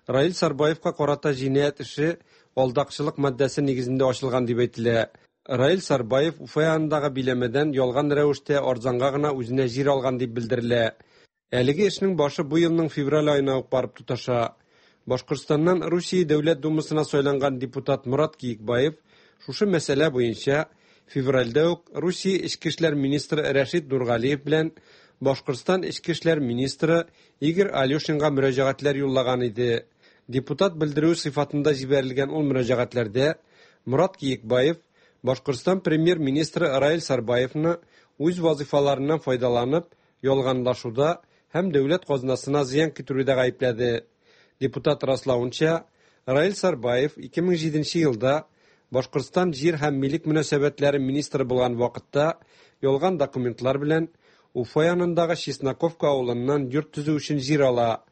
Раил Сарбаевка карата җинаять эше алдакчылык маддәсе нигезендә ачылган дип әйтелә. Раил Сарбаев Уфа янындагы биләмәдән ялган рәвештә арзанга гына үзенә җир алган дип белдерелә. Әлеге эшнең башы бу елның февраль аена ук барып тоташа. Башкортстаннан Русия Дәүләт Думасына сайланган депутат Мурат Киекбаев шушы мәсьәлә буенча февральдә үк Русия Эчке эшләр министры Рәшит Нургалиев белән Башкортстан Эчке эшләр министры Игорь Алешинга мөрәҗәгатьләр юллаган иде. Депутат белдерүе сыйфатында җибәрелгән ул мөрәҗәгатьләрдә Мурат Киекбаев Башкортстан премьер-министры Раил Сарбаевны үз вазифаларыннан файдаланып, ялганлашуда һәм дәүләт казнасына зыян китерүдә гаепләде. Депутат раславынча, Раил Сарбаев ике мең җиденче елда Башкортстан җир һәм милек мөнәсәбәтләре министры булган вакытта ялган документлар белән Уфа янындагы Чесноковка авылыннан йорт төзү өчен җир ала.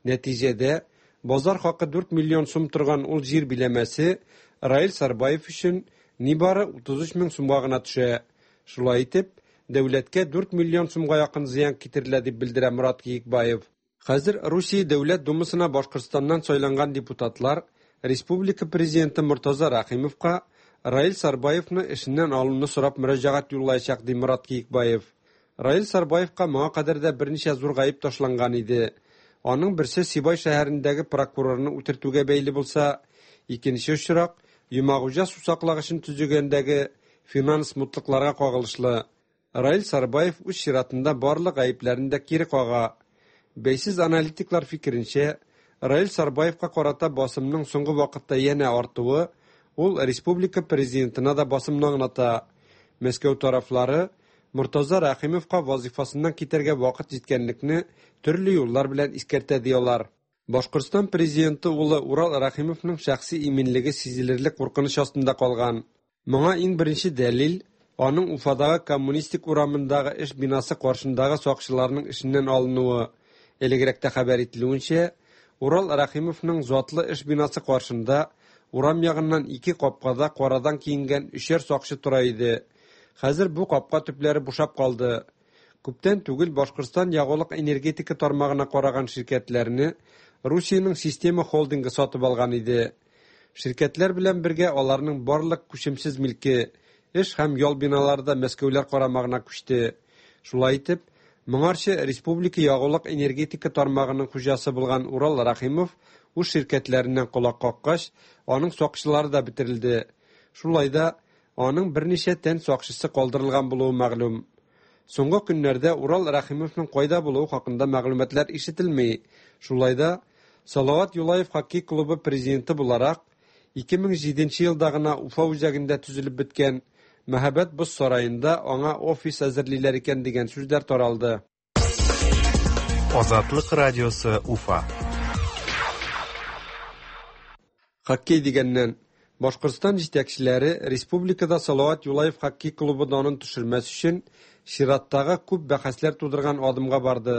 Нәтиҗәдә базар хакы дүрт миллион сум торган ул җир биләмәсе Раил Сарбаев өчен нибары утыз өч мең сумга гына төшә. Шулай итеп, дәүләткә дүрт миллион сумга якын зыян китерелә дип белдерә Мурат Киекбаев. Хәзер Русия Дәүләт Думасына Башкортстаннан сайланган депутатлар Республика президенты Муртаза Рахимовка Раил Сарбаевны эшеннән алуны сорап мөрәҗәгать юллаячак, ди Мурат Киекбаев. Раил Сарбаевка моңа кадәр дә берничә зур гаеп ташланган иде. Аның берсе Сибай шәһәрендәге прокурорны үтертүгә бәйле булса, икенче очрак Йомагуҗа сусаклагычын төзегәндәге финанс мутлыкларга кагылышлы. Раил Сарбаев үз чиратында барлык гаепләрен дә кире кага. Бәйсез аналитиклар фикеренчә, Раил Сарбаевка карата басымның соңгы вакытта янә артуы ул республика президентына да басымны аңлата. Мәскәү тарафлары Муртаза Рахимовка вазифасыннан китәргә вакыт җиткәнлекне төрле юллар белән искәртә диялар. Башкортстан президенты улы Урал Рахимовның шәхси иминлеге сизелерлек куркыныч астында калган. Моңа иң беренче дәлил аның Уфадагы Коммунистик урамындагы эш бинасы каршындагы сакчыларның эшеннән алынуы. Элегрәктә хәбәр ителүенчә, Урал Рахимовның затлы эш бинасы каршында урам ягыннан ике капкада карадан киенгән өчәр сакчы тора иде. Хәзер бу капка төпләре бушап калды. Күптән түгел Башкортстан ягулык энергетика тармагына караган ширкәтләрне Русиянең система холдингы сатып алган иде. Ширкәтләр белән бергә аларның барлык күчемсез милке, эш һәм ял биналары да Мәскәүләр карамагына күчте. Шулай итеп, моңарчы республика ягулык энергетика тармагының хуҗасы булган Урал Рахимов үз ширкәтләреннән колак каккач, аның сакчылары да бетерелде. Шулай да аның берничә тән сакчысы калдырылган булуы мәгълүм. Соңгы көннәрдә Урал Рахимовның кайда булуы хакында мәгълүматлар ишетелми. Шулай да Салават Юлаев хоккей клубы президенты буларак ике мең җиденче елда гына Уфа үзәгендә төзелеп беткән Мәһабәт боз сараенда аңа офис әзерлиләр икән дигән сүзләр таралды. Азатлык радиосы Уфа. Хоккей дигәннән, Башкортстан җитәкчеләре республикада Салават Юлаев хоккей клубы данын төшермәс өчен чираттагы күп бәхәсләр тудырган адымга барды.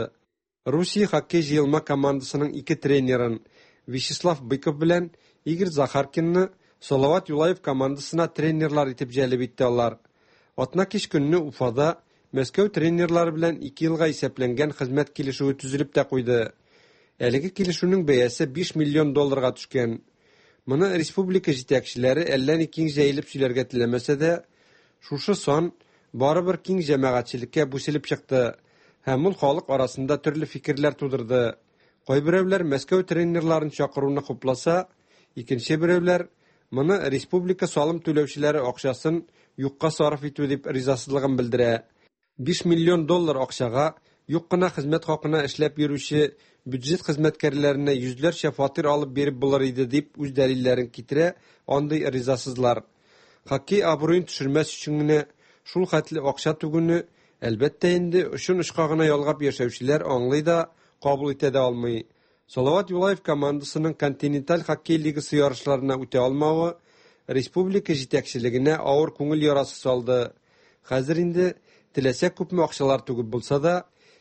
Русия хоккей җыелма командасының ике тренерын Вячеслав Быков белән Игорь Захаркинны Салават Юлаев командасына тренерлар итеп җәлеп итте алар. Атна кич көнне Уфада Мәскәү тренерлары белән ике елга исәпләнгән хезмәт килешүе төзелеп тә куйды. Әлеге килешүнең бәясе биш миллион долларга төшкән. Моны республика җитәкчеләре әллә ни киң җәелеп сөйләргә теләмәсә дә, шушы сан барыбер киң җәмәгатьчелеккә бүселеп чыкты һәм ул халык арасында төрле фикерләр тудырды. Кайберәүләр Мәскәү тренерларын чакыруны хупласа, икенче берәүләр моны республика салым түләүчеләре акчасын юкка сарыф итү дип ризасызлыгын белдерә. биш миллион доллар акчага юк кына хезмәт хакына эшләп йөрүче бюджет хезмәткәрләренә йөзләрчә фатир алып биреп булыр иде дип үз дәлилләрен китерә андый ризасызлар. Хоккей абруен төшермәс өчен генә шул хәтле акча түгүне, әлбәттә инде, очын очка гына ялгап яшәүчеләр аңлый да, кабул итә дә алмый. Салават Юлаев командасының континенталь хоккей лигасы ярышларына үтә алмавы республика җитәкчелегенә авыр күңел ярасы салды. Хәзер инде теләсә күпме акчалар түгеп булса да,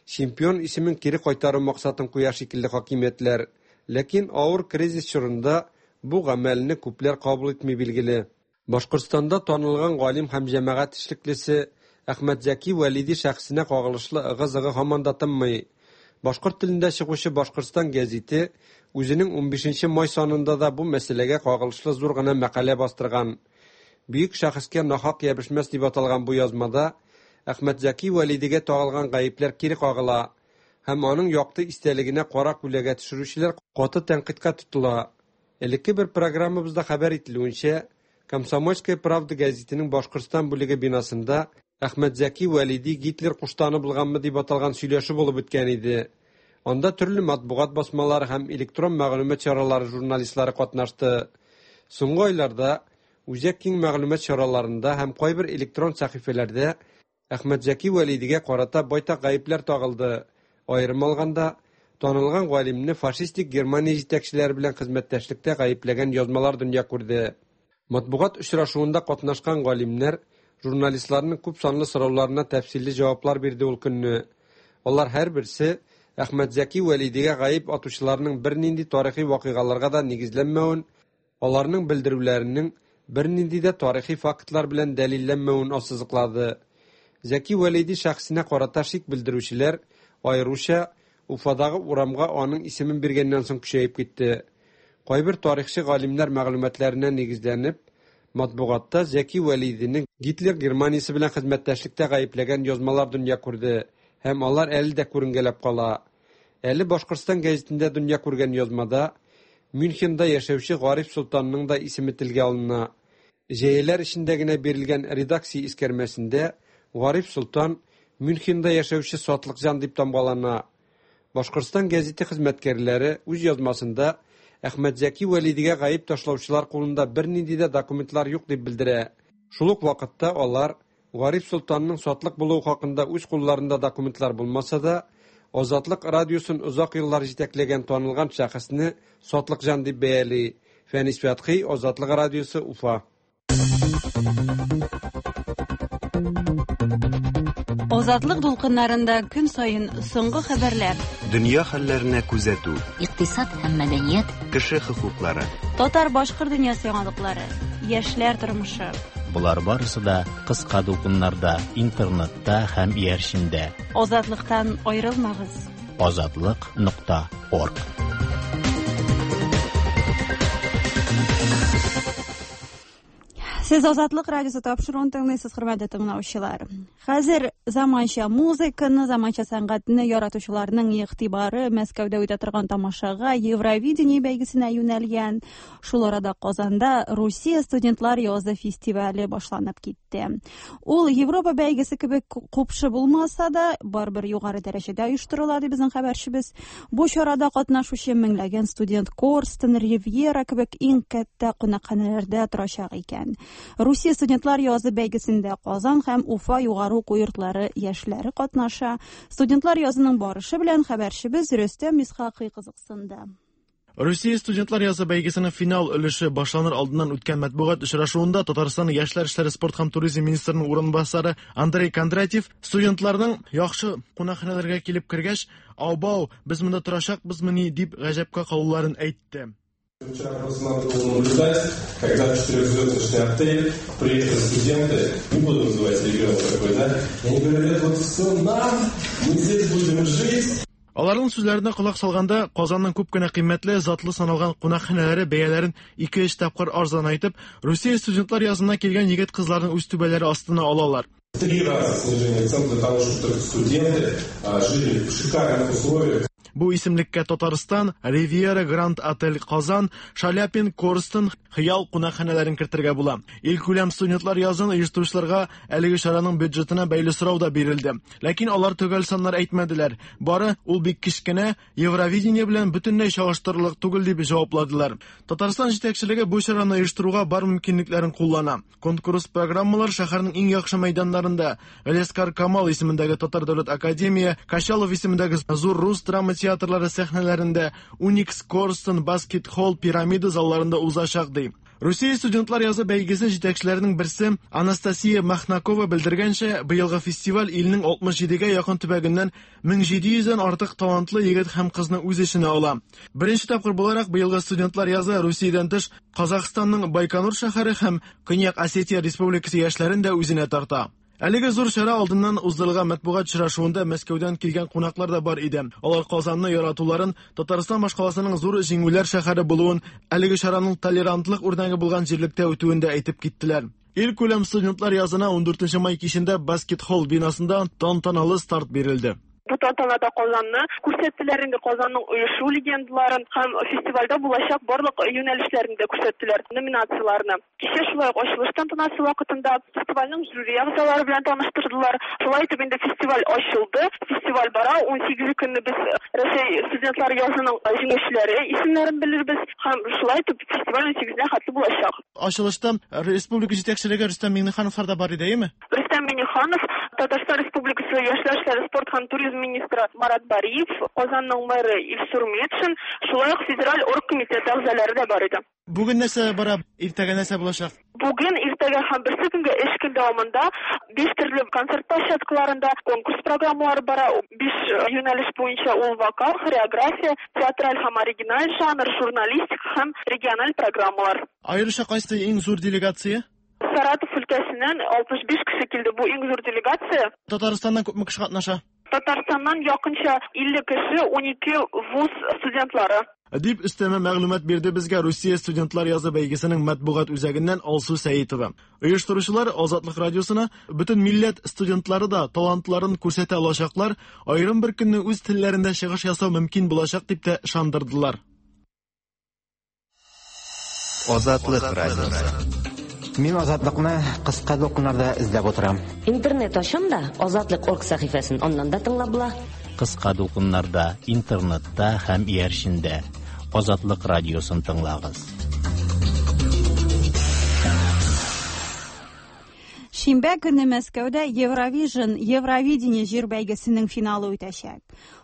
чемпион исемен кире кайтару максатын куя шикелле хакимиятләр. Ләкин авыр кризис чорында бу гамәлне күпләр кабул итми билгеле. Башкортстанда танылган галим һәм җәмәгать эшлеклесе Әхмәтзәки Вәлиди шәхесенә кагылышлы ыгы-зыгы һаман да тынмый. Башкорт телендә чыгучы Башкортстан гәзите үзенең унбишенче май санында да бу мәсьәләгә кагылышлы зур гына мәкалә бастырган. Бөек шәхескә нахак ябышмас дип аталган бу язмада Әхмәтзәки Вәлидигә тагылган гаепләр кире кагыла һәм аның якты истәлегенә кара күләгә төшерүчеләр каты тәнкыйтькә тотыла. Элекке бер программабызда хәбәр ителүенчә, Комсомольская правда гәзитенең Башкортстан бүлеге бинасында Әхмәтзәки Вәлиди Гитлер куштаны булганмы дип аталган сөйләшү булып үткән иде. Анда төрле матбугат басмалары һәм электрон мәгълүмат чаралары журналистлары катнашты. Соңгы айларда үзәк киң мәгълүмат чараларында һәм кайбер электрон сәхифәләрдә Әхмәтзәки Вәлидигә карата байтак гаепләр тагылды. Аерым алганда, танылган галимне фашистик Германия җитәкчеләре белән хезмәттәшлектә гаепләгән язмалар дөнья күрде. Матбугат очрашуында катнашкан галимнәр журналистларның күп санлы сорауларына тәфсилле җаваплар бирде ул көнне. Алар һәрберсе Әхмәтзәки Вәлидигә гаеп атучыларның бернинди тарихи вакыйгаларга да нигезләнмәвен, аларның белдерүләренең бернинди дә тарихи фактлар белән дәлилләнмәвен ассызыклады. Зәки Вәлиди шәхесенә карата шик белдерүчеләр аеруча Уфадагы урамга аның исемен биргәннән соң көчәеп китте. Кайбер тарихчы галимнәр мәгълүматларына нигезләнеп, матбугатта Зәки Вәлидинең Гитлер Германиясе белән хезмәттәшлектә гаепләгән язмалар дөнья күрде һәм алар әле дә күренгәләп кала. Әле Башкортстан гәзитендә дөнья күргән язмада Мюнхенда яшәүче Гариф Солтанның да исеме телгә алына. Җәяләр эчендә генә бирелгән редакция искәрмәсендә Гариф Солтан Мюнхенда яшәүче сатлыкҗан дип тамгалана. Башкортстан гәзите хезмәткәрләре үз язмасында Әхмәтзәки Вәлидигә гаеп ташлаучылар кулында бернинди дә документлар юк дип белдерә. Шул ук вакытта алар Гариф Солтанның сатлык булуы хакында үз кулларында документлар булмаса да, Азатлык радиосын озак еллар җитәкләгән танылган шәхесне сатлыкҗан дип бәяли. Фәнис Фәтхи, Азатлык радиосы, Уфа. Азатлык дулкыннарында көн саен соңгы хәбәрләр, дөнья хәлләренә күзәтү, икътисад һәм мәдәният, кеше хокуклары, татар-башкорт дөньясы яңалыклары, яшьләр тормышы. Болар барысы да кыска дулкыннарда, интернетта һәм иярчендә. Азатлыктан аерылмагыз. Азатлык нокта орг. Сез Азатлык радиосы тапшыруын тыңлыйсыз, хөрмәтле тыңлаучылар. Хәзер заманча музыканы, заманча сәнгатьне яратучыларның игътибары Мәскәүдә үтә торган тамашага, Евровидение бәйгесенә юнәлгән. Шул арада Казанда Русия студентлар язы фестивале башланып китте. Ул Европа бәйгесе кебек купшы булмаса да, барыбер югары дәрәҗәдә оештырыла, ди безнең хәбәрчебез. Бу чарада катнашучы меңләгән студент Корстон, Ривьера кебек иң кәттә кунакханәләрдә торачак икән. Русия студентлар язы бәйгесендә Казан һәм Уфа югары уку йортлары яшьләре катнаша. Студентлар язының барышы белән хәбәрчебез Рөстәм Исхакый кызыксынды. Русия студентлар язы бәйгесенең финал өлеше башланыр алдыннан үткән матбугат очрашуында Татарстан яшьләр эшләре, спорт һәм туризм министрының урынбасары Андрей Кондратьев студентларның яхшы кунакханәләргә килеп кергәч, "Аубау, без монда торачакбызмыни?" дип гаҗәпкә калуларын әйтте. Вчера просто надо было наблюдать, когда в четырехзвездочный отель приехали студенты, не буду называть регион какой, да, и они говорят, вот все нам, мы здесь будем жить. Аларның сүзләренә колак салганда, Казанның күп кенә кыйммәтле, затлы саналган кунакханәләре бәяләрен ике-өч тапкыр арзанайтып, Русия студентлар язына килгән егет-кызларны үз түбәләре астына алалар. Три раза снижение цен для того, чтобы только студенты жили в шикарных условиях. Бу исемлеккә Татарстан, Ривьера Гранд Отель Казан, Шаляпин, Корстон, Хыял кунакханәләрен кертергә була. Илкүләм студентлар язын оештыручыларга әлеге чараның бюджетына бәйле сорау да бирелде. Ләкин алар төгәл саннар әйтмәделәр. Бары ул бик кечкенә, Евровидение белән бөтенләй чагыштырырлык түгел дип җавапладылар. Татарстан җитәкчелеге бу чараны оештыруга бар мөмкинлекләрен куллана. Конкурс программалар шәһәрнең иң яхшы мәйданнарында Галиәсгар Камал исемендәге Татар дәүләт академия, Качалов исемендәге Зур рус драма театрлары сәхнәләрендә, Уникс, Корстон, Баскет Холл, Пирамида залларында узачак ди. Русия студентлар язы бәйгесе җитәкчеләренең берсе Анастасия Махнакова белдергәнчә, быелгы фестиваль илнең алтмыш җидегә якын төбәгеннән мең җиде йөздән артык талантлы егет һәм кызны үз эченә ала. Беренче тапкыр буларак быелгы студентлар язы Русиядән тыш Казахстанның Байконур шәһәре һәм Көньяк Осетия Республикасы яшьләрен дә үзенә тарта. Әлеге зур чара алдыннан уздырылган матбугат очрашуында Мәскәүдән килгән кунаклар да бар иде. Алар Казанны яратуларын, Татарстан башкаласының зур җиңүләр шәһәре булуын, әлеге чараның толерантлык үрнәге булган җирлектә үтүен дә әйтеп киттеләр. Илкүләм студентлар язына ундүртенче май кичендә Баскет Холл бинасында тантаналы старт бирелде. Бу тантанада Казанны күрсәттеләр, инде Казанның оешу легендаларын һәм фестивальдә булачак барлык юнәлешләрен дә күрсәттеләр, номинацияләрне. Кичә шулай ук ачылыш тантанасы вакытында фестивальнең жюри әгъзалары белән таныштырдылар. Шулай итеп инде фестиваль ачылды, фестиваль бара. Унсигезе көнне без Рәсәй студентлар язының җиңүчеләре исемнәрен белербез һәм шулай итеп фестиваль унсигезенә хәтле булачак. Ачылышта республика җитәкчелеге Рөстәм Миңнехановлар да бар иде, әйеме? Рөстәм Миңнеханов, Татарстан Республикасы яшьләр эшләре, спорт һәм туризм министры Марат Бариев, Казанның мэры Илсур Метшин, шулай ук федераль оргкомитет әгъзалары да бар иде. Бүген нәрсә бара, иртәгә нәрсә булачак? Бүген, иртәгә һәм берсе көнгә эш көн дәвамында биш төрле концерт площадкаларында конкурс программалары бара. Биш юнәлеш буенча ул вокал, хореография, театраль һәм оригиналь жанр, журналистика һәм региональ программалар. Аеруча кайсы иң зур делегация? Саратов өлкәсеннән алтмыш биш кеше килде. Бу иң зур делегация. Татарстаннан күпме кеше катнаша? Татарстаннан якынча илле кеше, унике вуз студентлары. Дип өстәмә мәгълүмат бирде безгә Русия студентлар язы бәйгесенең матбугат үзәгеннән Алсу Сәитова. Оештыручылар Азатлык радиосына бөтен милләт студентлары да талантларын күрсәтә алачаклар, аерым бер көнне үз телләрендә чыгыш ясау мөмкин булачак дип тә ышандырдылар. Азатлык радиосы. Мин Азатлыкны кыска дулкыннарда эзләп утырам. Интернет ачам да Азатлык орг сәхифәсен аннан да тыңлап була. Кыска дулкыннарда, интернетта һәм иярчендә Азатлык радиосын тыңлагыз. Шимбә көне Мәскәүдә Евровижн, Евровидение җыр бәйгесенең финалы үтәчәк.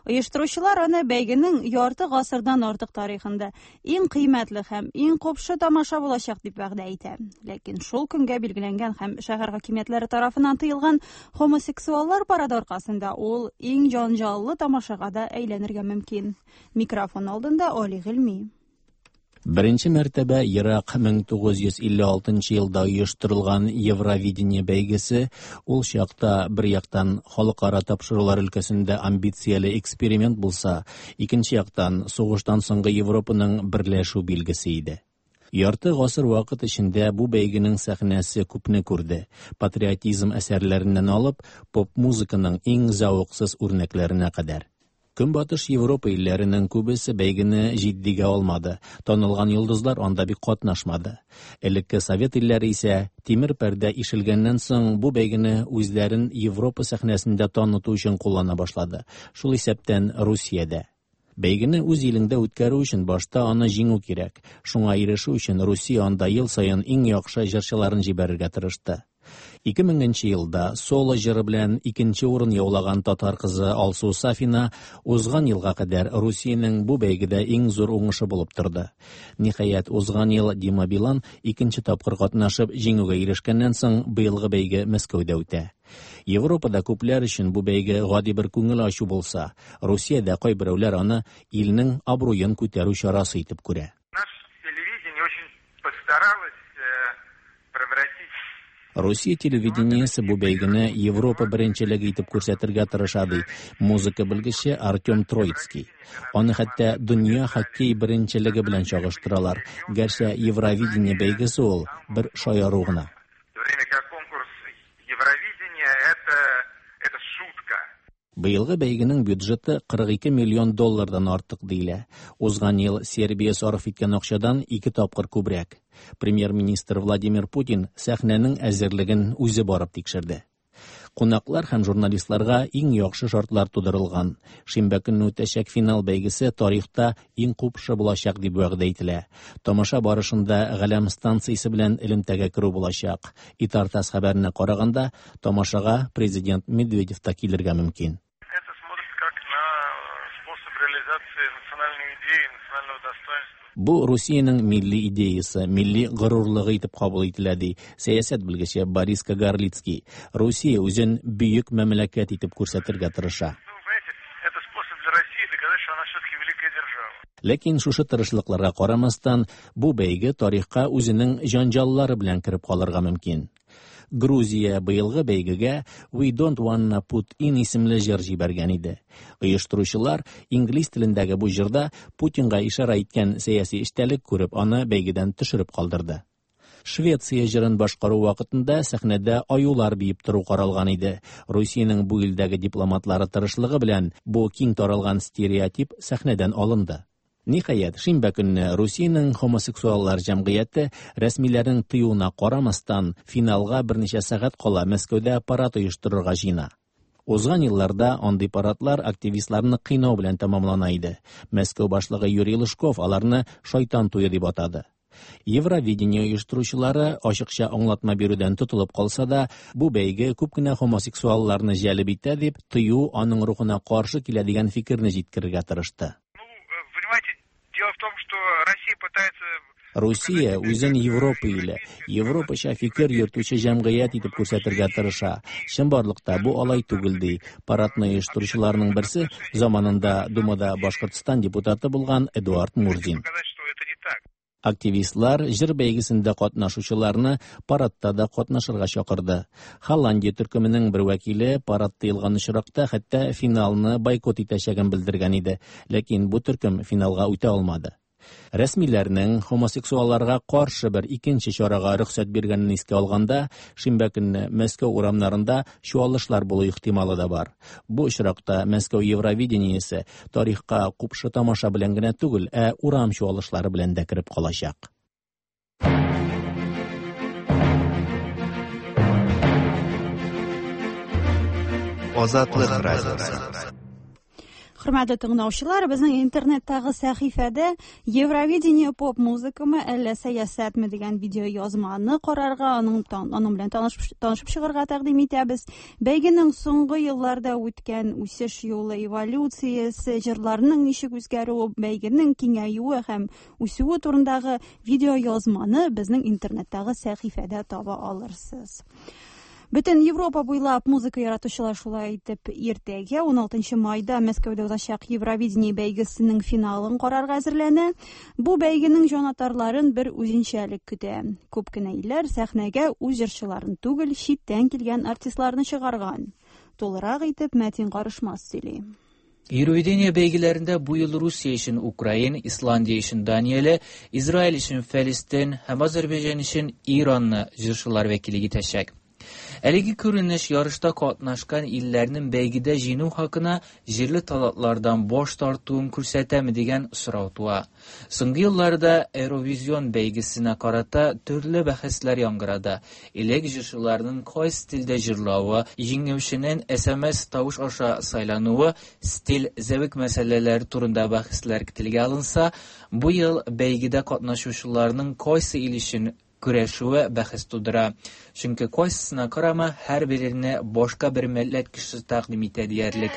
Оештыручылар аны бәйгенең ярты гасырдан артык тарихында иң кыйммәтле һәм иң купшы тамаша булачак дип вәгъдә итә. Ләкин шул көнгә билгеләнгән һәм шәһәр хакимиятләре тарафыннан тыелган хомосексуаллар парады аркасында ул иң җанҗаллы тамашага да әйләнергә мөмкин. Микрофон алдында Али Гыйльми. Беренче мәртәбә ерак мең тугыз йөз илле алтынчы елда оештырылган Евровидение бәйгесе ул чакта бер яктан халыкара тапшырулар өлкәсендә амбицияле эксперимент булса, икенче яктан сугыштан соңгы Европаның берләшү билгесе иде. Ярты гасыр вакыт эчендә бу бәйгенең сәхнәсе күпне күрде. Патриотизм әсәрләреннән алып, поп-музыканың иң зәвыксыз үрнәкләренә кадәр. Көнбатыш Европа илләренең күбесе бәйгене җитдигә алмады. Танылган йолдызлар анда бик катнашмады. Элекке Совет илләре исә тимер пәрдә ишелгәннән соң бу бәйгене үзләрен Европа сәхнәсендә таныту өчен куллана башлады. Шул исәптән Русиядә. Бәйгене үз илеңдә үткәрү өчен башта аны җиңү кирәк. Шуңа ирешү өчен Русия анда ел саен иң яхшы җырчыларын җибәрергә тырышты. Ике меңенче елда соло җыры белән икенче урын яулаган татар кызы Алсу Сафина узган елга кадәр Русиянең бу бәйгедә иң зур уңышы булып торды. Ниһаять, узган ел Дима Билан икенче тапкыр катнашып җиңүгә ирешкәннән соң быелгы бәйге Мәскәүдә үтә. Европада күпләр өчен бу бәйге гади бер күңел ачу булса, Русиядә кайберәүләр аны илнең абруен күтәрү чарасы итеп күрә. Русия телевидениесе бу бәйгене Европа беренчелеге итеп күрсәтергә тырыша, ди музыка белгече Артем Троицкий. Аны хәтта дөнья хоккей беренчелеге белән чагыштыралар. Гәрчә Евровидение бәйгесе ул бер шаяру гына. Быелгы бәйгенең бюджеты кырык ике миллион доллардан артык диелә. Узган ел Сербия сарыф иткән акчадан ике тапкыр күбрәк. Премьер-министр Владимир Путин сәхнәнең әзерлеген үзе барып тикшерде. Кунаклар һәм журналистларга иң яхшы шартлар тудырылган. Шимбә көнне үтәчәк финал бәйгесе тарихта иң купшы булачак дип вәгъдә ителә. Тамаша барышында Галәм станциясе белән элемтәгә керү булачак. Итартас хәбәренә караганда, тамашага президент Медведев та килергә мөмкин. Бу Русиянең милли идеясы, милли горурлыгы итеп кабул ителә, ди сәясәт белгече Борис Кагарлицкий. Русия үзен бөек мәмләкәт итеп күрсәтергә тырыша. Ләкин шушы тырышлыкларга карамастан, бу бәйге тарихка үзенең җанҗаллары белән кереп калырга мөмкин. Грузия быелгы бәйгегә We Don't Wanna Put In исемле җыр җибәргән иде. Оештыручылар инглиз телендәге бу җырда Путинга ишарә иткән сәяси эчтәлек күреп, аны бәйгедән төшереп калдырды. Швеция җырын башкару вакытында сәхнәдә аюлар биеп тору каралган иде. Русиянең бу илдәге дипломатлары тырышлыгы белән бу киң таралган стереотип сәхнәдән алынды. Ниһаять, шимбә көнне Русиянең хомосексуаллар җәмгыяте рәсмиләрнең тыюына карамастан финалга берничә сәгать кала Мәскәүдә парад оештырырга җыена. Узган елларда андый парадлар активистларны кыйнау белән тәмамлана иде. Мәскәү башлыгы Юрий Лужков аларны шайтан туе дип атады. Евровидение оештыручылары ачыкча аңлатма бирүдән тотылып калса да, бу бәйге күп кенә хомосексуалларны җәлеп итә дип, тыю аның рухына каршы килә дигән фикерне җиткерергә тырышты. Русия үзен Европа иле, Европача фикер йөртүче җәмгыять итеп күрсәтергә тырыша. Чынбарлыкта бу алай түгел, ди парадны оештыручыларның берсе, заманында Думада Башкортстан депутаты булган Эдуард Мурзин. Активистлар җыр бәйгесендә катнашучыларны парадта да катнашырга чакырды. Холландия төркеменең бер вәкиле парад тыелган очракта хәтта финалны бойкот итәчәген белдергән иде, ләкин бу төркем финалга үтә алмады. Рәсмиләрнең хомосексуалларга каршы бер икенче чарага рөхсәт биргәнен искә алганда, шимбә көнне Мәскәү урамнарында чуалышлар булу ихтималы да бар. Бу очракта Мәскәү Евровидениесе тарихка купшы тамаша белән генә түгел, ә урам чуалышлары белән дә кереп калачак. Азатлык радиосы. Хөрмәтле тыңлаучылар, безнең интернеттагы сәхифәдә Евровидение поп-музыкамы, әллә сәясәтме дигән видео язманы карарга, аның аның белән танышып, танышып чыгарга тәкъдим итәбез. Бәйгенең соңгы елларда үткән үсеш юлы, эволюциясе, җырларның ничек үзгәрүе, бәйгенең киңәюе һәм үсүе турындагы видео язманы безнең интернеттагы сәхифәдә таба алырсыз. Бөтен Европа буйлап музыка яратучылар шулай итеп иртәгә ун алтынчы майда Мәскәүдә узачак Евровидение бәйгесенең финалын карарга әзерләнә. Бу бәйгенең җанатарларын бер үзенчәлек көтә. Күп кенә илләр сәхнәгә үз җырчыларын түгел, читтән килгән артистларны чыгарган. Тулырак итеп Мәтин Карышмас сөйли. Евровидение бәйгеләрендә бу ел Русия өчен Украина, Исландия өчен Данияле, Израиль өчен Фәлестин һәм Азәрбайҗан өчен Иранны җырчылар вәкиллек итәчәк. Әлеге күренеш ярышта катнашкан илләрнең бәйгедә җиңү хакына җирле талантлардан баш тартуын күрсәтәме дигән сорау туа. Соңгы елларда Eurovision бәйгесенә карата төрле бәхәсләр яңгырады. Элек җырчыларның кайсы стильдә җырлавы, җиңүченең эс эм эс тавыш аша сайлануы, стиль, зәвык мәсьәләләре турында бәхәсләр телгә алынса, бу ел бәйгедә катнашучыларның кайсы ил өчен көрәшүе бәхәс тудыра. Чөнки кайсысына карама, һәрберенә башка бер милләт кешесе тәкъдим итә диярлек.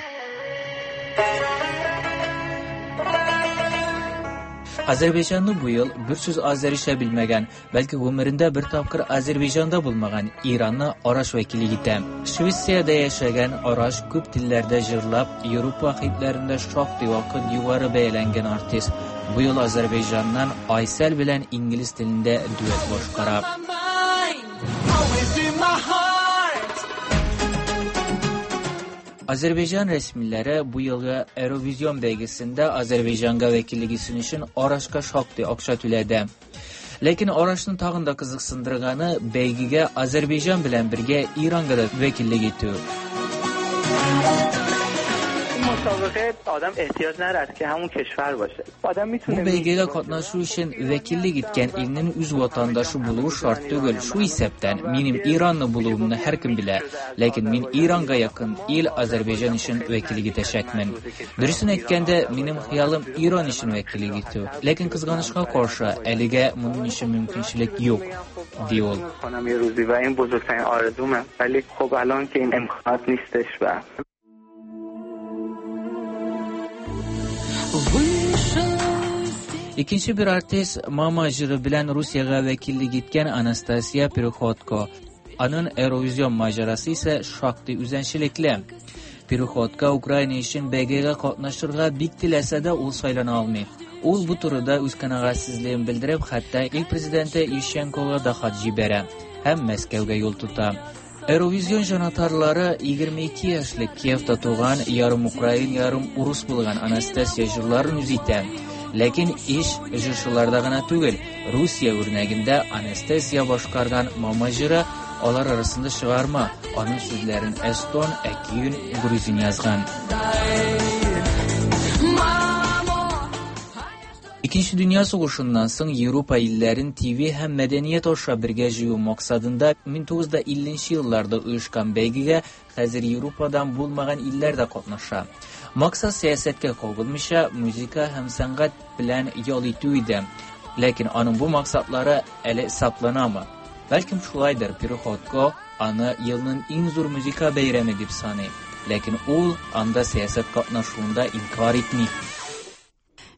Азәрбайҗанны бу ел бер сүз азәричә белмәгән, бәлки гомерендә бер тапкыр Азәрбайҗанда булмаган Иранны Араш вәкиллек итә. Швециядә яшәгән Араш күп телләрдә җырлап, Европа хитләрендә шактый вакыт югары бәяләнгән артист. Бу ел Азәрбайҗаннан Айсәл белән инглиз телендә дуэт башкара. Азәрбайҗан рәсмиләре бу елгы Eurovision бәйгесендә Азәрбайҗанга вәкиллек итсен өчен Арашка шактый акча түләде. Ләкин Арашны тагын да кызыксындырганы бәйгегә Азәрбайҗан белән бергә Иранга да вәкиллек итү. مسابقه آدم احتیاج ندارد که همون کشور باشه. آدم میتونه Бу бәйгегә катнашу өчен вәкиллек иткән илнең үз ватандашы булуы шарт түгел. Шу исәптән минем Иранны булуымны һәркем белә. Ләкин мин Иранга якын ил Азәрбайҗан өчен вәкиллек итәчәкмен. Дөресен әйткәндә, минем хыялым Иран өчен вәкиллек итү. Ләкин кызганычка каршы, әлегә моның өчен мөмкинчелек юк, ди ул. کنم یه روزی و این بزرگترین آرزومه. ولی خب الان که این امکانات نیستش و Икенче бер артист Мама җыры белән Русиягә вәкиллек иткән Анастасия Переходко. Аның Eurovision маҗарасы исә шактый үзенчәлекле. Переходко Украина өчен бәйгегә катнашырга бик теләсә дә ул сайлана алмый. Ул бу турыда үз канәгатьсезлеген белдереп, хәтта ил президенты Ющенкога да хат җибәрә һәм Мәскәүгә юл тота. Eurovision җанатарлары егерме ике яшьлек Киевта туган ярым украин, ярым урыс булган Анастасия җырларын үз итә. Ләкин иш җырчыларда гына түгел, Русия үрнәгендә Анастасия башкарган Мама җыры алар арасында чыгарма. Аның сүзләрен эстон, ә көен грузин язган. Икенче дөнья сугышыннан соң Европа илләрен Т В һәм мәдәният аша бергә җыю максатында мең тугыз йөз илленче елларда оешкан бәйгегә хәзер Европадан булмаган илләр дә катнаша. Максат сәясәткә кагылмыйча музыка һәм сәнгать белән ял итү иде. Ләкин аның бу максатлары әле сакланамы? Бәлкем шулайдыр, Переходко аны елның иң зур музыка бәйрәме дип саный. Ләкин ул анда сәясәт катнашуында инкар итми.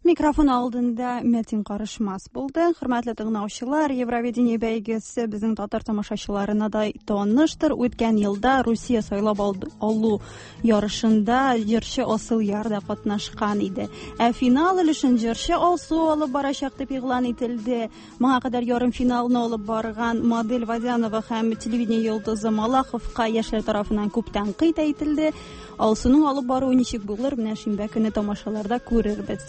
Микрофон алдында Метин Карышмас булды. Хөрмәтле тыңлаучылар, Евровидение бәйгесе безнең татар тамашачыларына да таныштыр. Үткән елда Русия сайлап алу ярышында җырчы Асыл Яр да катнашкан иде. Ә финал өлешен җырчы Алсу алып барачак дип игълан ителде. Моңа кадәр ярым финалны алып барган Модель Вадянова һәм телевидение йолдызы Малаховка яшьләр тарафыннан күп тәнкыйть әйтелде. Алсуның алып баруы ничек булыр, менә шимбә көне тамашаларда күрербез.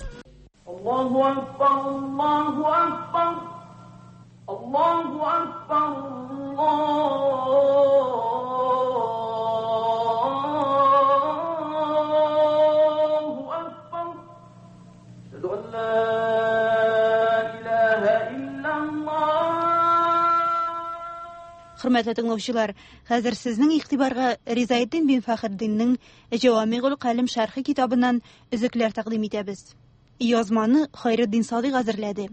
Allahu Akbar, Allahu Akbar, Allahu Akbar, Allahu Akbar. Ashhadu an la ilaha illallah. Хөрмәтле тыңлаучылар, хәзер сезнең игътибарга Ризаэддин бин Фәхретдиннең Җавамигул Калим шәрхе китабыннан өзекләр тәкъдим итәбез. Язманы Хайретдин Садык әзерләде.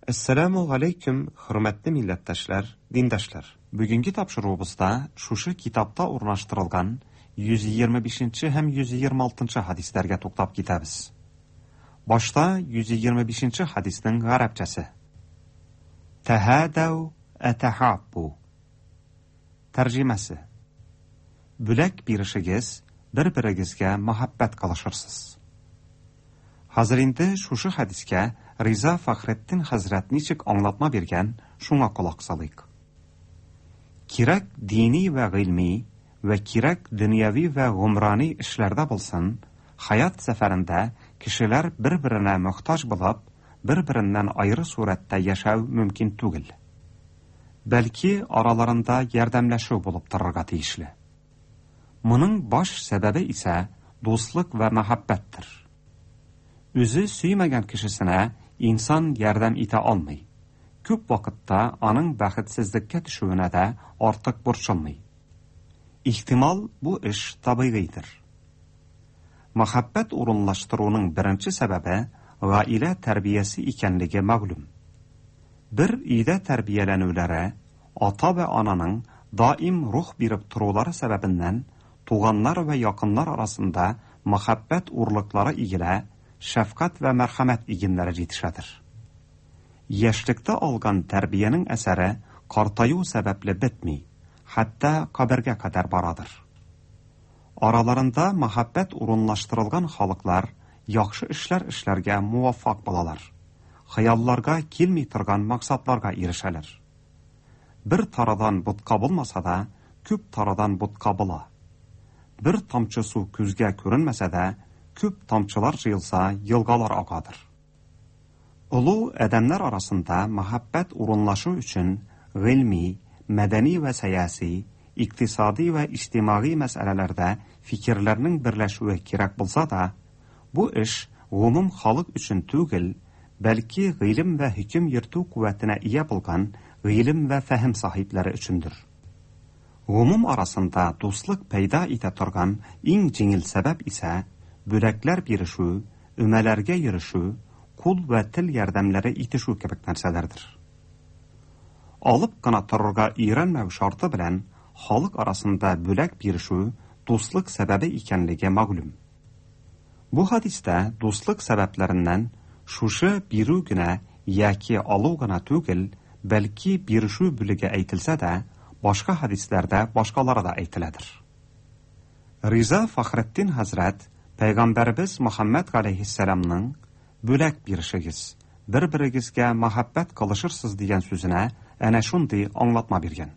Әссәламу алейкум, хөрмәтле милләттәшләр, диндашлар. Бүгенге тапшыруыбызда шушы китапта урнаштырылган йөз егерме бишенче һәм йөз егерме алтынчы хадисләргә туктап китәбез. Башта йөз егерме бишенче хадиснең гарәпчәсе. Тәһәдәү әтәһаббу. Тәрҗемәсе. Бүләк бирешегез, бер-берегезгә мәхәббәт кылышырсыз. Хәзер инде шушы хәдискә Риза Фәхретдин хәзрәт ничек аңлатма биргән, шуңа колак салыйк. Кирәк дини вә гыйльми вә кирәк дөньяви вә гумрани эшләрдә булсын, хаят сәфәрендә кешеләр бер-беренә мохтаҗ булып, бер-береннән айры сурәттә яшәү мөмкин түгел. Бәлки араларында ярдәмләшү булып торырга тиешле. Моның баш сәбәбе исә дуслык вә мәхәббәттер. Үзе сөймәгән кешесенә инсан ярдәм итә алмый. Күп вакытта аның бәхетсезлеккә төшүенә дә артык борчылмый. Ихтимал, бу эш табигыйдыр. Мәхәббәт урынлаштыруның беренче сәбәбе гаилә тәрбиясе икәнлеге мәгълүм. Бер өйдә тәрбияләнүләре, ата вә ананың даим рух биреп торулары сәбәбеннән туганнар вә якыннар арасында мәхәббәт урлыклары игелә, шәфкать вә мәрхәмәт игеннәре җитешәдер. Яшьлектә алган тәрбиянең әсәре картаю сәбәпле бетми, хәтта кабергә кадәр барадыр. Араларында мәхәббәт урынлаштырылган халыклар яхшы эшләр эшләргә муваффак булалар. Хыялларга килми торган максатларга ирешәләр. Бер тарадан ботка булмаса да, күп тарадан ботка була. Бер тамчы су күзгә күренмәсә дә, күп тамчылар җыелса, елгалар агадыр. Олы адәмнәр арасында мәхәббәт урынлашу өчен гыйльми, мәдәни вә сәяси, икътисади вә иҗтимагый мәсьәләләрдә фикерләрнең берләшүе кирәк булса да, бу эш гомум халык өчен түгел, бәлки гыйлем вә хөкем йөртү куәтенә ия булган гыйлем вә фәһем сахипләре өчендер. Гомум арасында дуслык пәйда итә торган иң җиңел сәбәп исә бүләкләр бирешү, өмәләргә йөрешү, кул вә тел ярдәмнәре итешү кебек нәрсәләрдер. Алып кына торырга өйрәнмәү шарты белән халык арасында бүләк бирешү дуслык сәбәбе икәнлеге мәгълүм. Бу хадистә дуслык сәбәпләреннән шушы бирү генә яки алу гына түгел, бәлки бирешү бүлеге әйтелсә дә, башка хадисләрдә башкалары да әйтеләдер. Риза Фахретдин хәзрәт Пәйгамбәрбез Мөхәммәд галәйһиссәламның бүләк бирешегез, бер-берегезгә мәхәббәт кылышырсыз дигән сүзенә әнә шундый аңлатма биргән.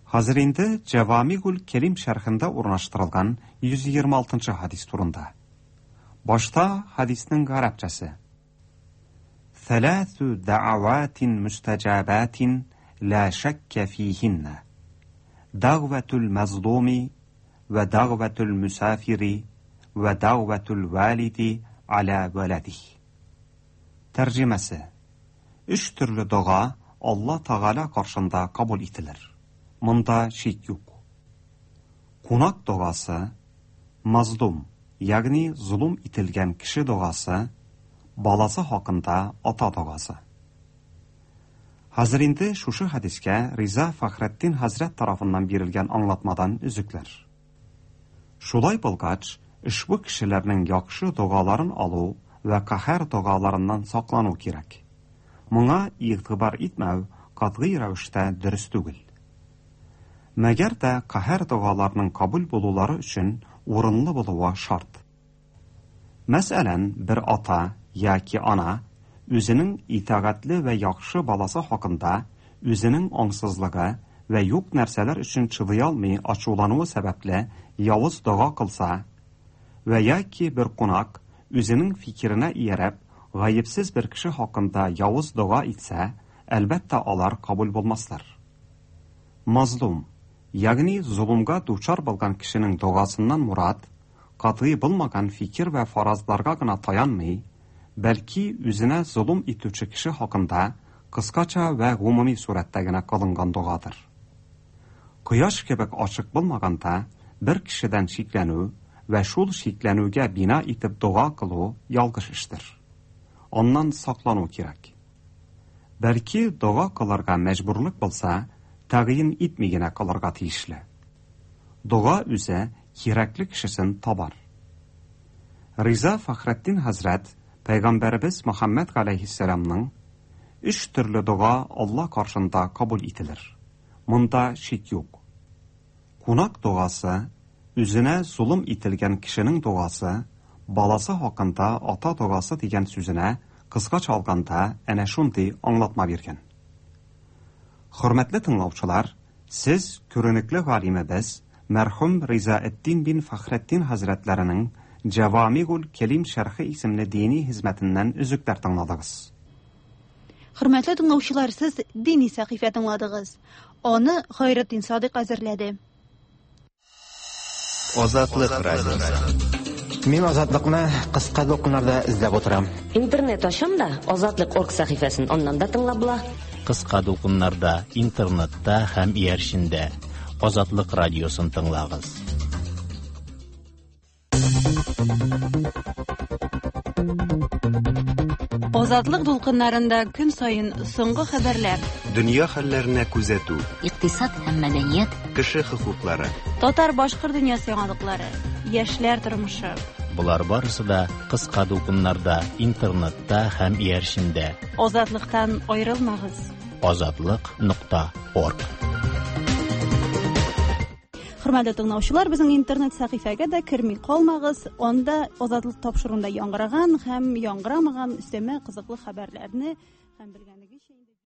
Хәзер инде Җавамигул Кәлим шәрхендә урнаштырылган йөз егерме алтынчы хадис турында. Башта хадисның гарәпчәсе. Thalathu da'awatin mustajabatin la shakka fihinna. Da'watul mazlumi va da'watul musafiri va da'watul walidi ala waladihi. Тәрҗемәсе. Өч төрле дога Алла Тәгалә каршында кабул ителер. Монда шик юк. Кунак догасы, мазлум, ягъни золым ителгән кеше догасы, баласы хакында ата догасы. Хәзер инде шушы хадискә Риза Фахретдин хәзрәт тарафыннан бирелгән аңлатмадан өзекләр. Шулай булгач, ошбу кешеләрнең яхшы догаларын алу вә каһәр догаларыннан саклану кирәк. Моңа игътибар итмәү катгый рәвештә дөрес түгел. Мәгәр дә каһәр догаларының кабул булулары өчен урынлы булуы шарт. Мәсәлән, бер ата яки ана үзенең итагатьле вә яхшы баласы хакында үзенең аңсызлыгы вә юк нәрсәләр өчен чыдый алмый ачулануы сәбәпле явыз дога кылса, вә яки бер кунак үзенең фикеренә ияреп гаепсез бер кеше хакында явыз дога итсә, әлбәттә алар кабул булмаслар. Мазлум, ягъни золымга дучар булган кешенең догасыннан мурат, катгый булмаган фикер вә фаразларга гына таянмый, бәлки үзенә золым итүче кеше хакында кыскача вә гомуми сурәттә генә кылынган догадыр. Кояш кебек ачык булмаганда бер кешедән шикләнү вә шул шикләнүгә бина итеп дога кылу ялгыш эштер. Аннан саклану кирәк. Бәлки дога кылырга мәҗбүрлек булса, тәгъйин итми генә кылырга тиешле. Дога үзе кирәкле кешесен табар. Риза Фахретдин хәзрәт Пәйгамбәрбез Мөхәммәд галәйһиссәламның өч төрле дога Алла каршында кабул ителер. Монда шик юк. Кунак догасы, үзенә золым ителгән кешенең догасы, баласы хакында ата догасы дигән сүзенә кыскача алганда әнә шундый аңлатма биргән. Хөрмәтле тыңлаучылар, сез күренекле галимебез мәрхүм Ризаэддин бин Фахретдин хәзрәтләренең Җавамигул Кәлим шәрхе исемле дини хезмәтеннән өзекләр тыңладыгыз. Хөрмәтле тыңлаучылар, сез дини сәхифә тыңладыгыз. Аны Хайретдин Садык әзерләде. Азатлык радиосы. Мин Азатлыкны кыска дулкыннарда эзләп утырам. Интернет ачам да Азатлык орг сәхифәсен аннан да тыңлап була. Кыска дулкыннарда, интернетта һәм иярчендә Азатлык радиосын тыңлагыз. Азатлык дулкыннарында көн саен соңгы хәбәрләр, Дөнья хәлләренә күзәтү, Икътисад һәм мәдәният, кеше хокуклары. Татар-башкорт дөньясы яңалыклары, яшьләр тормышы. Болар барысы да кыска дулкыннарда, интернетта һәм иярчендә. Азатлыктан аерылмагыз. Азатлык нокта орг. Хөрмәтле тыңлаучылар, безнең интернет сәхифәгә дә керми калмагыз. Анда Азатлык тапшыруында яңгыраган һәм яңгырамаган өстәмә кызыклы хәбәрләрне һәм белгән